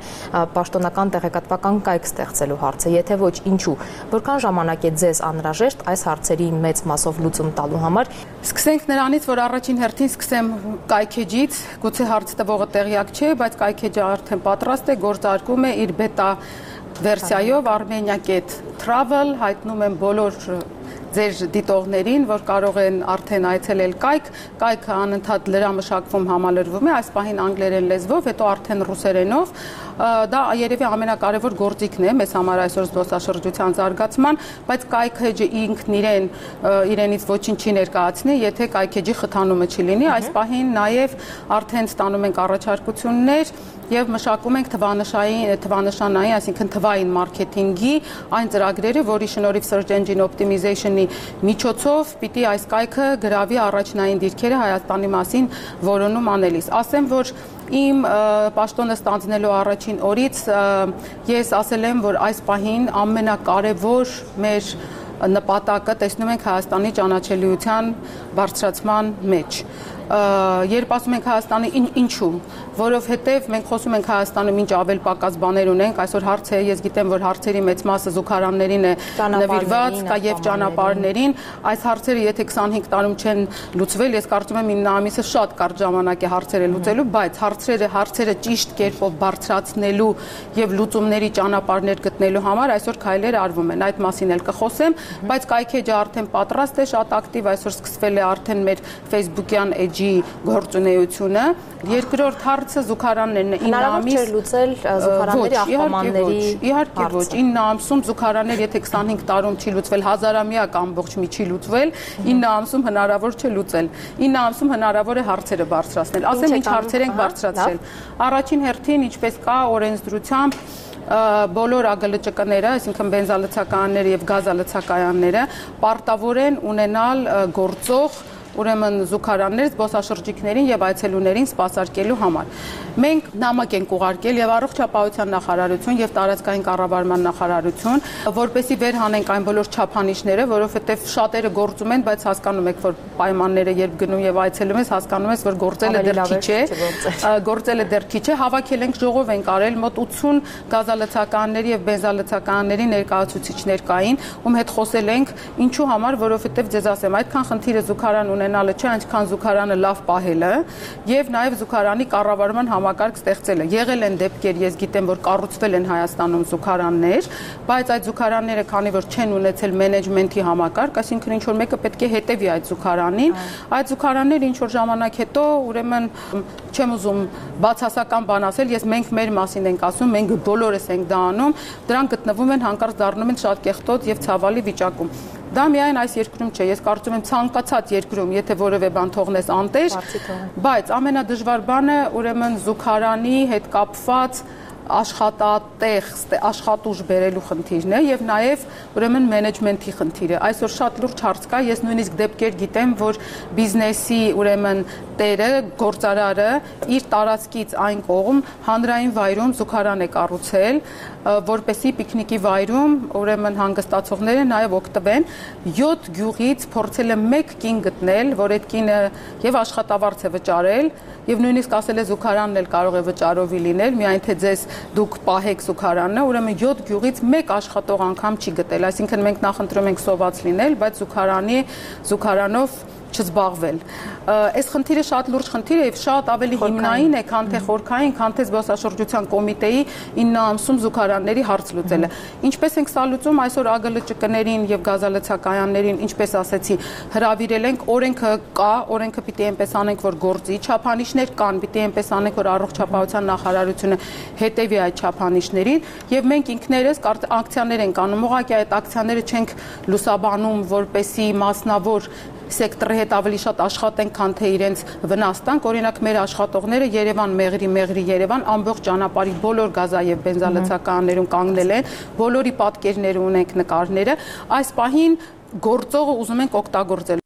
պաշտոնական տեղեկատվական կայք ստեղծելու հարցը, եթե ոչ ինչու, որքան ժամանակ է ձեզ անհրաժեշտ այս հարցերի մեծ մասով լուծում տալու համար։ Սկսենք նրանից, որ առաջին հերթին սկսեմ կայքեջից, գուցե հարց տվողը տեղյակ չէ, բայց կայքեջը արդեն պատրաստ է, գործարկում է իր բետա վերսիայով armenia.travel, հայտնում եմ բոլոր ձեր դիտողներին, որ կարող են արդեն այցելել կայք, կայքը անընդհատ լրամշակվում համալրվում է, այս պահին անգլերեն լեզվով, հետո արդեն ռուսերենով, դա երևի ամենակարևոր գործիքն է մեզ համար այսօր զբոսաշրջության զարգացման, բայց կայքեջը ինքն իրեն իրենից ոչինչ չի ներկայացնի, եթե կայքեջի խթանումը չի լինի, այս պահին նաև արդեն ստանում ենք առաջարկություններ եւ մշակում ենք թվանշային, թվանշանային, այսինքն թվային մարքեթինգի այն ծրագրերը, որի շնորհիվ search engine optimization-ի միջոցով պիտի այս կայքը գրավի առաջնային դիրքերը Հայաստանի մասին որոնում անելիս։ Ասեմ, որ իմ պաշտոնը ստանձնելու առաջին օրից ես ասել եմ, որ այս պահին ամենակարևոր մեր նպատակը տեսնում ենք Հայաստանի ճանաչելիության բարձրացման մեջ։ Երբ ասում ենք Հայաստանի ինչու, որովհետև մենք խոսում ենք Հայաստանում ինչ ավել պակաս բաներ ունենք, այսօր հարց է, ես գիտեմ, որ հարցերի մեծ մասը զուգարաններին է նվիրված, կա եւ ճանապարհներին, այս հարցերը եթե քսանհինգ տարում չեն լուծվել, ես կարծում եմ ինը ամիսը շատ կարճ ժամանակ է հարցերը լուծելու, բայց հարցերը հարցերը ճիշտ կերպով բարձրացնելու եւ լուծումների ճանապարհներ գտնելու համար այսօր քայլեր արվում են, այդ մասին էլ կխոսեմ, բայց կայքեջը արդեն պատրաստ է, շատ ակտիվ, այսօր սկսվել է արդեն մեր Facebook-յան գործունեությունը, երկրորդ հարցը զուգարաններն է, ինը ամիս չէր լուծել զուգարանների աղբամանների, իհարկե ոչ, ինը ամսում զուգարաններ, եթե քսանհինգ տարում չի լուծվել, հազարամյակ ամբողջ մի չի լուծվել, ինը ամսում հնարավոր չէ լուծել, ինը ամսում հնարավոր է հարցերը բարձրացնել, ասեմ ինչ հարցեր ենք բարձրացրել, առաջին հերթին ինչպես կա օրենսդրությամբ բոլոր ԱԳԼՃԿ-ները, այսինքն բենզալցակայանները եւ գազալցակայանները պարտավոր են ունենալ գործող ուրեմն զուգարաններ զբոսաշրջիկներին եւ այցելուներին սպասարկելու համար։ Մենք նամակ ենք ուղարկել եւ առողջապահության նախարարություն եւ տարածքային կառավարման նախարարություն, որպեսզի վերհանենք այն բոլոր չափանիշները, որովհետեւ շատերը գործում են, բայց հասկանում եք, որ պայմանները երբ գնում եւ այցելում ես, հասկանում ես, որ գործելը դեռ քիչ է, գործելը դեռ քիչ է, հավաքել ենք ժողով ենք արել, մոտ ութսուն գազալցականների եւ բենզալցականների ներկայացուցիչներ կային, ում հետ խոսել ենք, ինչու համար, որովհետեւ ձեզ ասեմ, այդքան խնդիրը զուգարան ունենալը չէ, այնքան զուգարանը լավ պահելը եւ նաեւ զուգարանի կառավարման համակարգ ստեղծելը։ Եղել են դեպքեր, ես գիտեմ, որ կառուցվել են Հայաստանում զուգարաններ, բայց այդ զուգարանները, քանի որ չեն ունեցել մենեջմենթի համակարգ, այսինքն ինչ որ մեկը պետք է հետևի այդ զուգարանին, այդ զուգարանները ինչ որ ժամանակ հետո, ուրեմն չեմ ուզում բացասական բան ասել, ես մենք մեր մասին ենք ասում, մենք բոլորս ենք դա անում, դրանք գտնվում են հանկարծ դառնում են շատ կեղտոտ եւ ցավալի վիճակում։ Դա միայն այս երկրում չէ, ես կարծում եմ ցանկացած երկրում, եթե որևէ բան թողնես անտեր, բայց ամենադժվար բանը ուրեմն զուգարանի հետ կապված աշխատատեղ, աշխատուժ բերելու խնդիրն է եւ նաեւ ուրեմն մենեջմենթի խնդիրը։ Այսօր շատ լուրջ հարց կա, ես նույնիսկ դեպքեր գիտեմ, որ բիզնեսի ուրեմն տերը, գործարարը իր տարածքից այն կողմ հանրային վայրում զուգարան է կառուցել, որպեսի պիկնիկի վայրում ուրեմն հանգստացողները նաեւ օգտվեն, յոթ գյուղից փորձել է մեկ կին գտնել, որ այդ կինը եւ աշխատավարձ է վճարել եւ նույնիսկ ասել է զուգարանն էլ կարող է վճարովի լինել, միայն թե ձեզ դուք պահեք զուգարանը, ուրեմն յոթ գյուղից մեկ աշխատող անգամ չի գտել, այսինքն մենք նախընտրում ենք սոված լինել, բայց զուգարանի զուգարանով չզբաղվել։ Այս խնդիրը շատ լուրջ խնդիր է եւ շատ ավելի հիմնային է, քան թե խորքային, քան թե զբոսաշրջության կոմիտեի ինը ամսում զուգարանների հարց լուծելը։ Ինչպես ենք սա լուծում, այսօր ԱԳԼՃԿ-ներին եւ գազալցակայաններին, ինչպես ասեցի, հրավիրել ենք, օրենքը կա, օրենքը պիտի այնպես անենք, որ գործի, չափանիշներ կան, պիտի այնպես անենք, որ առողջապահության նախարարությունը հետևի այդ չափանիշներին եւ մենք ինքներս ակցիաներ ենք անում, ուղղակի այդ ակցիաները չենք լուսաբանում, որպեսի մասնավոր սեկտորի հետ ավելի շատ աշխատենք, քան թե իրենց վնաս տանք, օրինակ մեր աշխատողները Երևան մեղրի մեղրի Երևան ամբողջ ճանապարհի բոլոր գազա եւ բենզալցականներում կանգնել են, բոլորի պատկերները ունենք, նկարները, այս պահին գործողը ուզում ենք օգտագործել։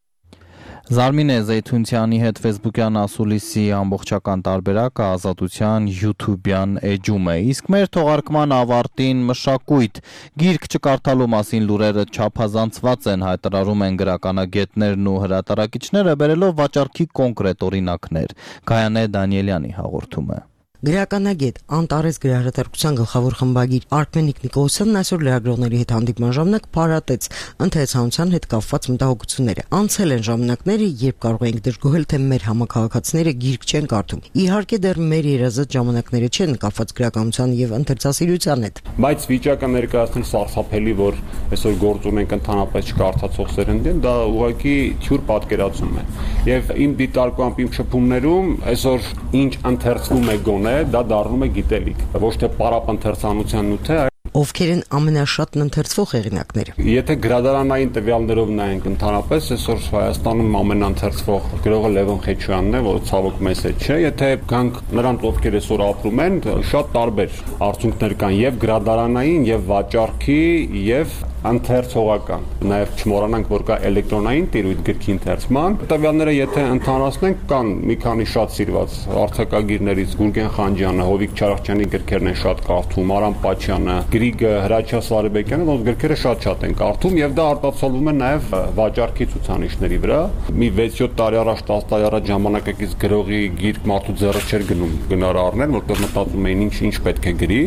Զարմինե Զեյթունցյանի հետ Facebook-յան ասուլիսի ամբողջական տարբերակը Ազատության YouTube-յան էջում է, իսկ մեր թողարկման ավարտին մշակույթ, գիրք չկարդալու մասին լուրերը չափազանցված են, հայտարարում են գրականագետներն ու հրատարակիչները, բերելով վաճառքի կոնկրետ օրինակներ։ Գայանե Դանիելյանի հաղորդումը։ Գրականագետ Անտարես գրահրատարակության գլխավոր խմբագիր Արմենիկ Նիկոլսյանն այսօր լրագրողների հետ հանդիպման ժամանակ փառատեց ընթերցանության հետ կապված մտահոգությունները։ Անցել են ժամանակները, երբ կարող էինք դժգոհել, թե մեր համակարգացիները գիրք չեն կարդում։ Իհարկե դեռ մեր երազած ժամանակները չեն կապված գրականության եւ ընթերցասիրության հետ։ Բայց վիճակը ներկայացնել սարսափելի, որ այսօր գործ ունենք ընդհանրապես չկարդացող սերնդին, դա ուղղակի թյուր պատկերացում է։ Եվ իմ դիտարկությամբ, իմ շփումներում այսօր ինչ ընթերցվում է գոնե դա դառնում է գիտելիք, ոչ թե պարապընթերցանության նյութ է։ Ովքեր են ամենաշատն ընթերցվող հեղինակները։ Եթե գրադարանային տվյալներով նայենք ընդհանրապես, այսօր Հայաստանում ամենաընթերցվող գրողը Լևոն Խեչյանն է, որը ցավոք մեզ հետ չէ։ Եթե գանք նրանց, ովքեր այսօր ապրում են, շատ տարբեր արդյունքներ կան եւ գրադարանային, եւ վաճառքի, եւ ընթերցողական։ Նաև չմոռանանք, որ կա էլեկտրոնային տիրույթ գրքի ընթերցման։ Տվյալները եթե ընդհանրացնենք, կան մի քանի շատ սիրված արձակագիրներից Գուրգեն Խանջյանը, Հովիկ Չարախչյանի գրքերն են շատ կարդում, Արամ Պաչյանը, Գրիգը, Հրաչյա Սարեբեկյանը, ոնց գրքերը շատ-շատ են կարդում եւ դա արտացոլվում է նաև վաճառքի ցուցանիշների վրա։ Մի վեց-յոթ տարի առաջ, տասը տարի առաջ ժամանակակից գրողի գիրք մարդու ձեռը չէր գնում գնար առնել, որտեղ մտածում էին ինչ ինչ պետք է գրի։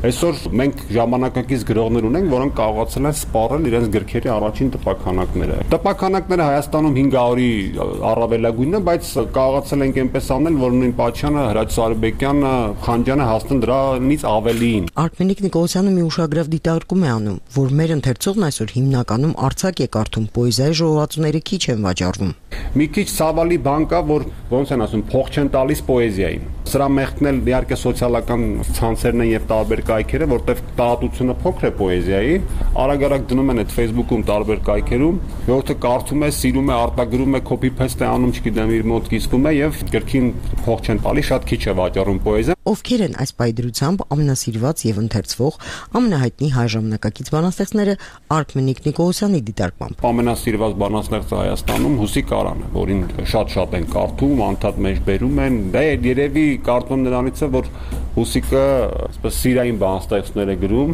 Այսօր մենք ժամանակակից գրողներ ունենք, որոնք կարողացել են սպառել իրենց գրքերի առաջին տպաքանակները։ Տպաքանակները Հայաստանում հինգ հարյուրի առավելագույնն է, բայց կարողացել ենք այնպես անել, որ նույն Պաչյանը, Հրաչ Սարեբեկյանը, Խանջյանը հասնեն դրանից ավելին։ Արմենիկ Նիկոլսյանը մի ուշագրավ դիտարկում է անում, որ մեր ընթերցողն այսօր հիմնականում արձակ է կարդում, պոեզիայի ժողովածուները քիչ են վաճառվում։ Մի քիչ ցավալի բան կա, որ ոնց են ասում, փող չեն տալիս պոեզիային։ Սրա մեղքն էլ իհարկե սոցիալական ցանցերն են եւ տարբեր կայքերը, որտեղ տարածությունը փոքր է պոեզիայի, արագ-արագ դնում են այդ Facebook-ում տարբեր կայքերում, որտեղ կարդում է, սիրում է, արտագրում է, copy paste է անում, չգիտեմ, իր մոտ կիսվում է եւ գրքին փող չեն տալի, շատ քիչ է վաճառում պոեզիա։ Ովքեր են այս պայդրությամբ ամենասիրված եւ ընթերցվող ամենահայտնի հայ ժամանակակից բանաստեղծները Արմենիկ Նիկոլսյանի դիտարկմամբ։ Ամենասիրված բանաստեղծը Հայաստանում Հուսիկ Արան է, որին շատ-շատ են կարդում, անդադ մեջ բերում են։ Դա երևի կարծում նրանից է, որ Հուսիկը այսպես սիրային բանաստեղծներ է գրում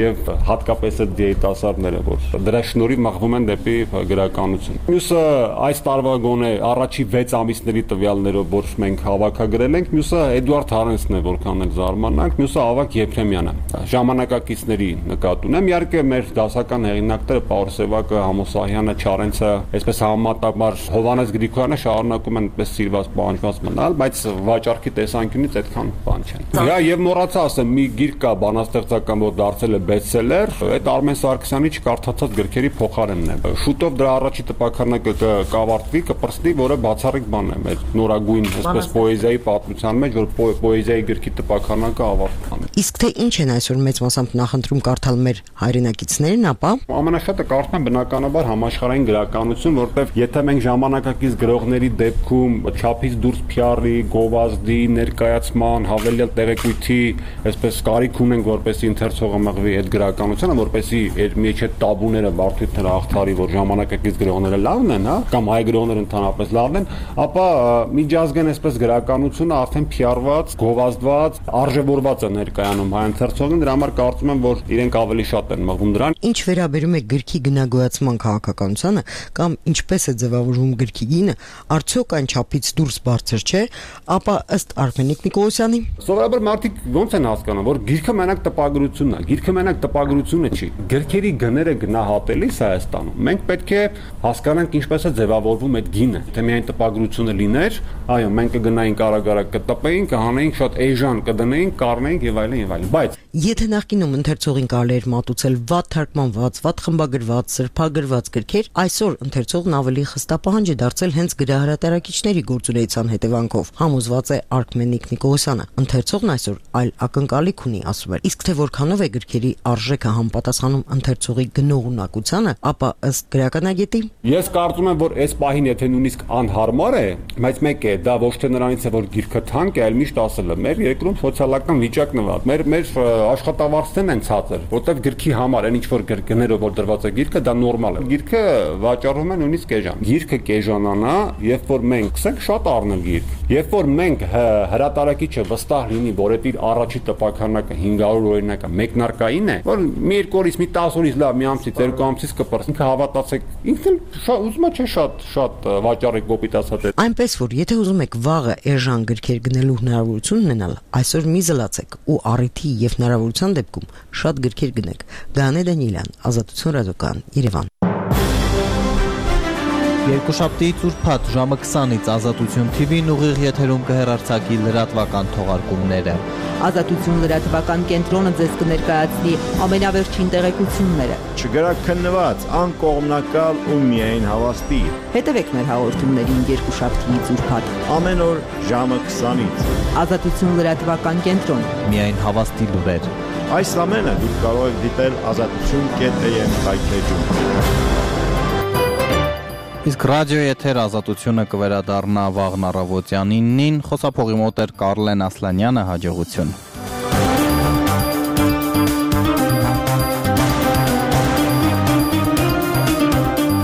եւ հատկապես այդ երիտասարդները, որ դրա շնորհիվ մղվում են դեպի գրականություն։ Մյուսը այս տարվա գոնե առաջի վեց ամիսների տվյալներով, որ մենք հավաքագրել ենք, մյուսը Էդուարդ Հարենսն է, որքան էլ զարմանանք, մյուսը Ավագ Եփրեմյանը։ Ժամանակակիցների նկատ ունեմ, իհարկե մեր դասական հեղինակները Պաուլ Սևակը, Համոսահյանը, Չարենցը, այսպես համեմատաբար Հովանես Գրիգորյանը շարունակում են այսպես սիրված պահանջված մնալ, բայց վաճառքի տեսանկյունից այդքան բան չեն։ Հա եւ մոռացա ասեմ, մի գիրք կա բանաստեղծական, որ դարձել է բեսթսելեր, այդ Արմեն Սարգսյանի չկարդացած գրքերի փոխարենն է։ Շուտով դրա առաջի տպաքանակը կավարտվի, կպրծնի, որը բացառիկ բան է մեր նորագույն այսպես պոեզիայի պատմության մեջ, որ պոեզիայի գրքի տպաքանակը ավարտվի։ Իսկ թե ինչ են այսօր մեծ մասամբ նախընտրում կարդալ մեր հայրենակիցներն, ապա ամենաշատը կարդում են բնականաբար համաշխարհային գրականություն, որտեղ եթե մենք ժամանակակից գրողների դեպքում չափից դուրս փյառի, գովազդի, ներկայացման, հավելյալ տեղեկույթի, այսպես կարիք ունենք, որպեսզի ընթերցողը մղվի այդ գրականությունը, որպեսզի այդ մեջ այդ տաբուները բարդությունները աղթարի, որ ժամանակակից գրողները լավն են, հա, կամ հայ գրողները ընդհանրապես լավն են, ապա միջազգային այսպես գրականությունը արդեն փյառված, գովազդված, արժևորված է ներկայանում հայ ընթերցողին, դրա համար կարծում եմ, որ իրենք ավելի շատ են մղվում դրան։ Ինչ վերաբերում է գրքի գնագոյացման քաղաքականությանը կամ ինչպես է ձևավորվում գրքի գինը, արդյոք այն չափից դուրս բարձր չէ, ապա ըստ Արմենիկ Նիկոլսյանի Սովորաբար մարդիկ ոնց են հասկանում, որ գիրքը մենակ տպագրությունն է, գիրքը մենակ տպագրությունը չի։ Գրքերի գները գնահատելիս Հայաստանում մենք պետք է հասկանանք ինչպես է ձևավորվում այդ գինը։ Թե միայն տպագրությունը լիներ, այո, մենք կգնայինք արագ-արագ կտպեինք, կհանեինք շատ էժան կդնեինք, կառնեինք եւ այլն եւ այլն։ Բայց եթե նախկինում ընթերցողին կարելի էր մատուցել վատ թարգմանված, վատ խմբագրված, սրբագրված գրքեր, այսօր ընթերցողն ավելի խստապահանջ է դարձել հենց գրահրատարակիչների գործունեության հետևանքով։ Համոզված է Արմենիկ Նիկոլսյանը։ Ընթերցողն այսօր այլ ակնկալիք ունի, ասում է։ Իսկ թե որքանով է գրքերի արժեքը համապատասխանում ընթերցողի գնողունակությանը, ապա ըստ գրականագետի ես կարծում եմ, որ այս պահին եթե նույնիսկ անհարմար է, բայց մեկ է, դա ոչ թե նրանից է, որ գիրքը թանկ է, այլ միշտ ասել եմ, մեր երկրում սոցիալական վիճակն է վատ։ Մեր մեր աշխատավարձներն են ցածր, որտեղ գրքի համար այն ինչ որ գներով որ դրված է գիրքը, դա նորմալ է։ Գիրքը վաճառում են նույնիսկ էժան։ Գիրքը կեժանանա, երբ որ մենք սկսենք շատ առնել գիրք։ Երբ որ մենք հրատարակիչը վստահ լինի, որ այդ իր առաջի տպականակը հինգ հարյուր օրինակը մեկնարկային է, որ մի երկու օրից մի տասը օրից լավ մի ամսից երկու ամսից կպրծի, ինքը հավատացեք, ինքն ուզում է չէ շատ շատ վաճառեք կոպիտ ասած։ Այնպես որ եթե ուզում եք վաղը էժան գրքեր գնելու հնարավորություն ունենալ, այսօր մի զլացեք ու առիթի եւ հնարավորության դեպքում շատ գրքեր գնեք։ Գանե Դանիելյան, Ազատություն ռադիոկայան, Երևան։ Երկուշաբթի ուրբաթ ժամը քսանից Ազատություն թի վին ուղիղ եթերում կհեռարձակի լրատվական թողարկումները։ Ազատություն լրատվական կենտրոնը ձեզ կներկայացնի ամենավերջին տեղեկությունները։ Չգրակ քննված, անկողմնակալ ու միայն հավաստի։ Հետևեք մեր հաղորդումներին երկուշաբթիից ուրբաթ ամեն օր ժամը քսանից։ Ազատություն լրատվական կենտրոն։ Միայն հավաստի լուրեր։ Այս ամենը դուք կարող եք դիտել ազատություն կետ էմ հայթեջում։ Իսկ ռադիոյի եթեր Ազատությունը կվերադառնա վաղն առավոտյան իննին, խոսափողի մոտ էր Կարլեն Ասլանյանը, հաջողություն։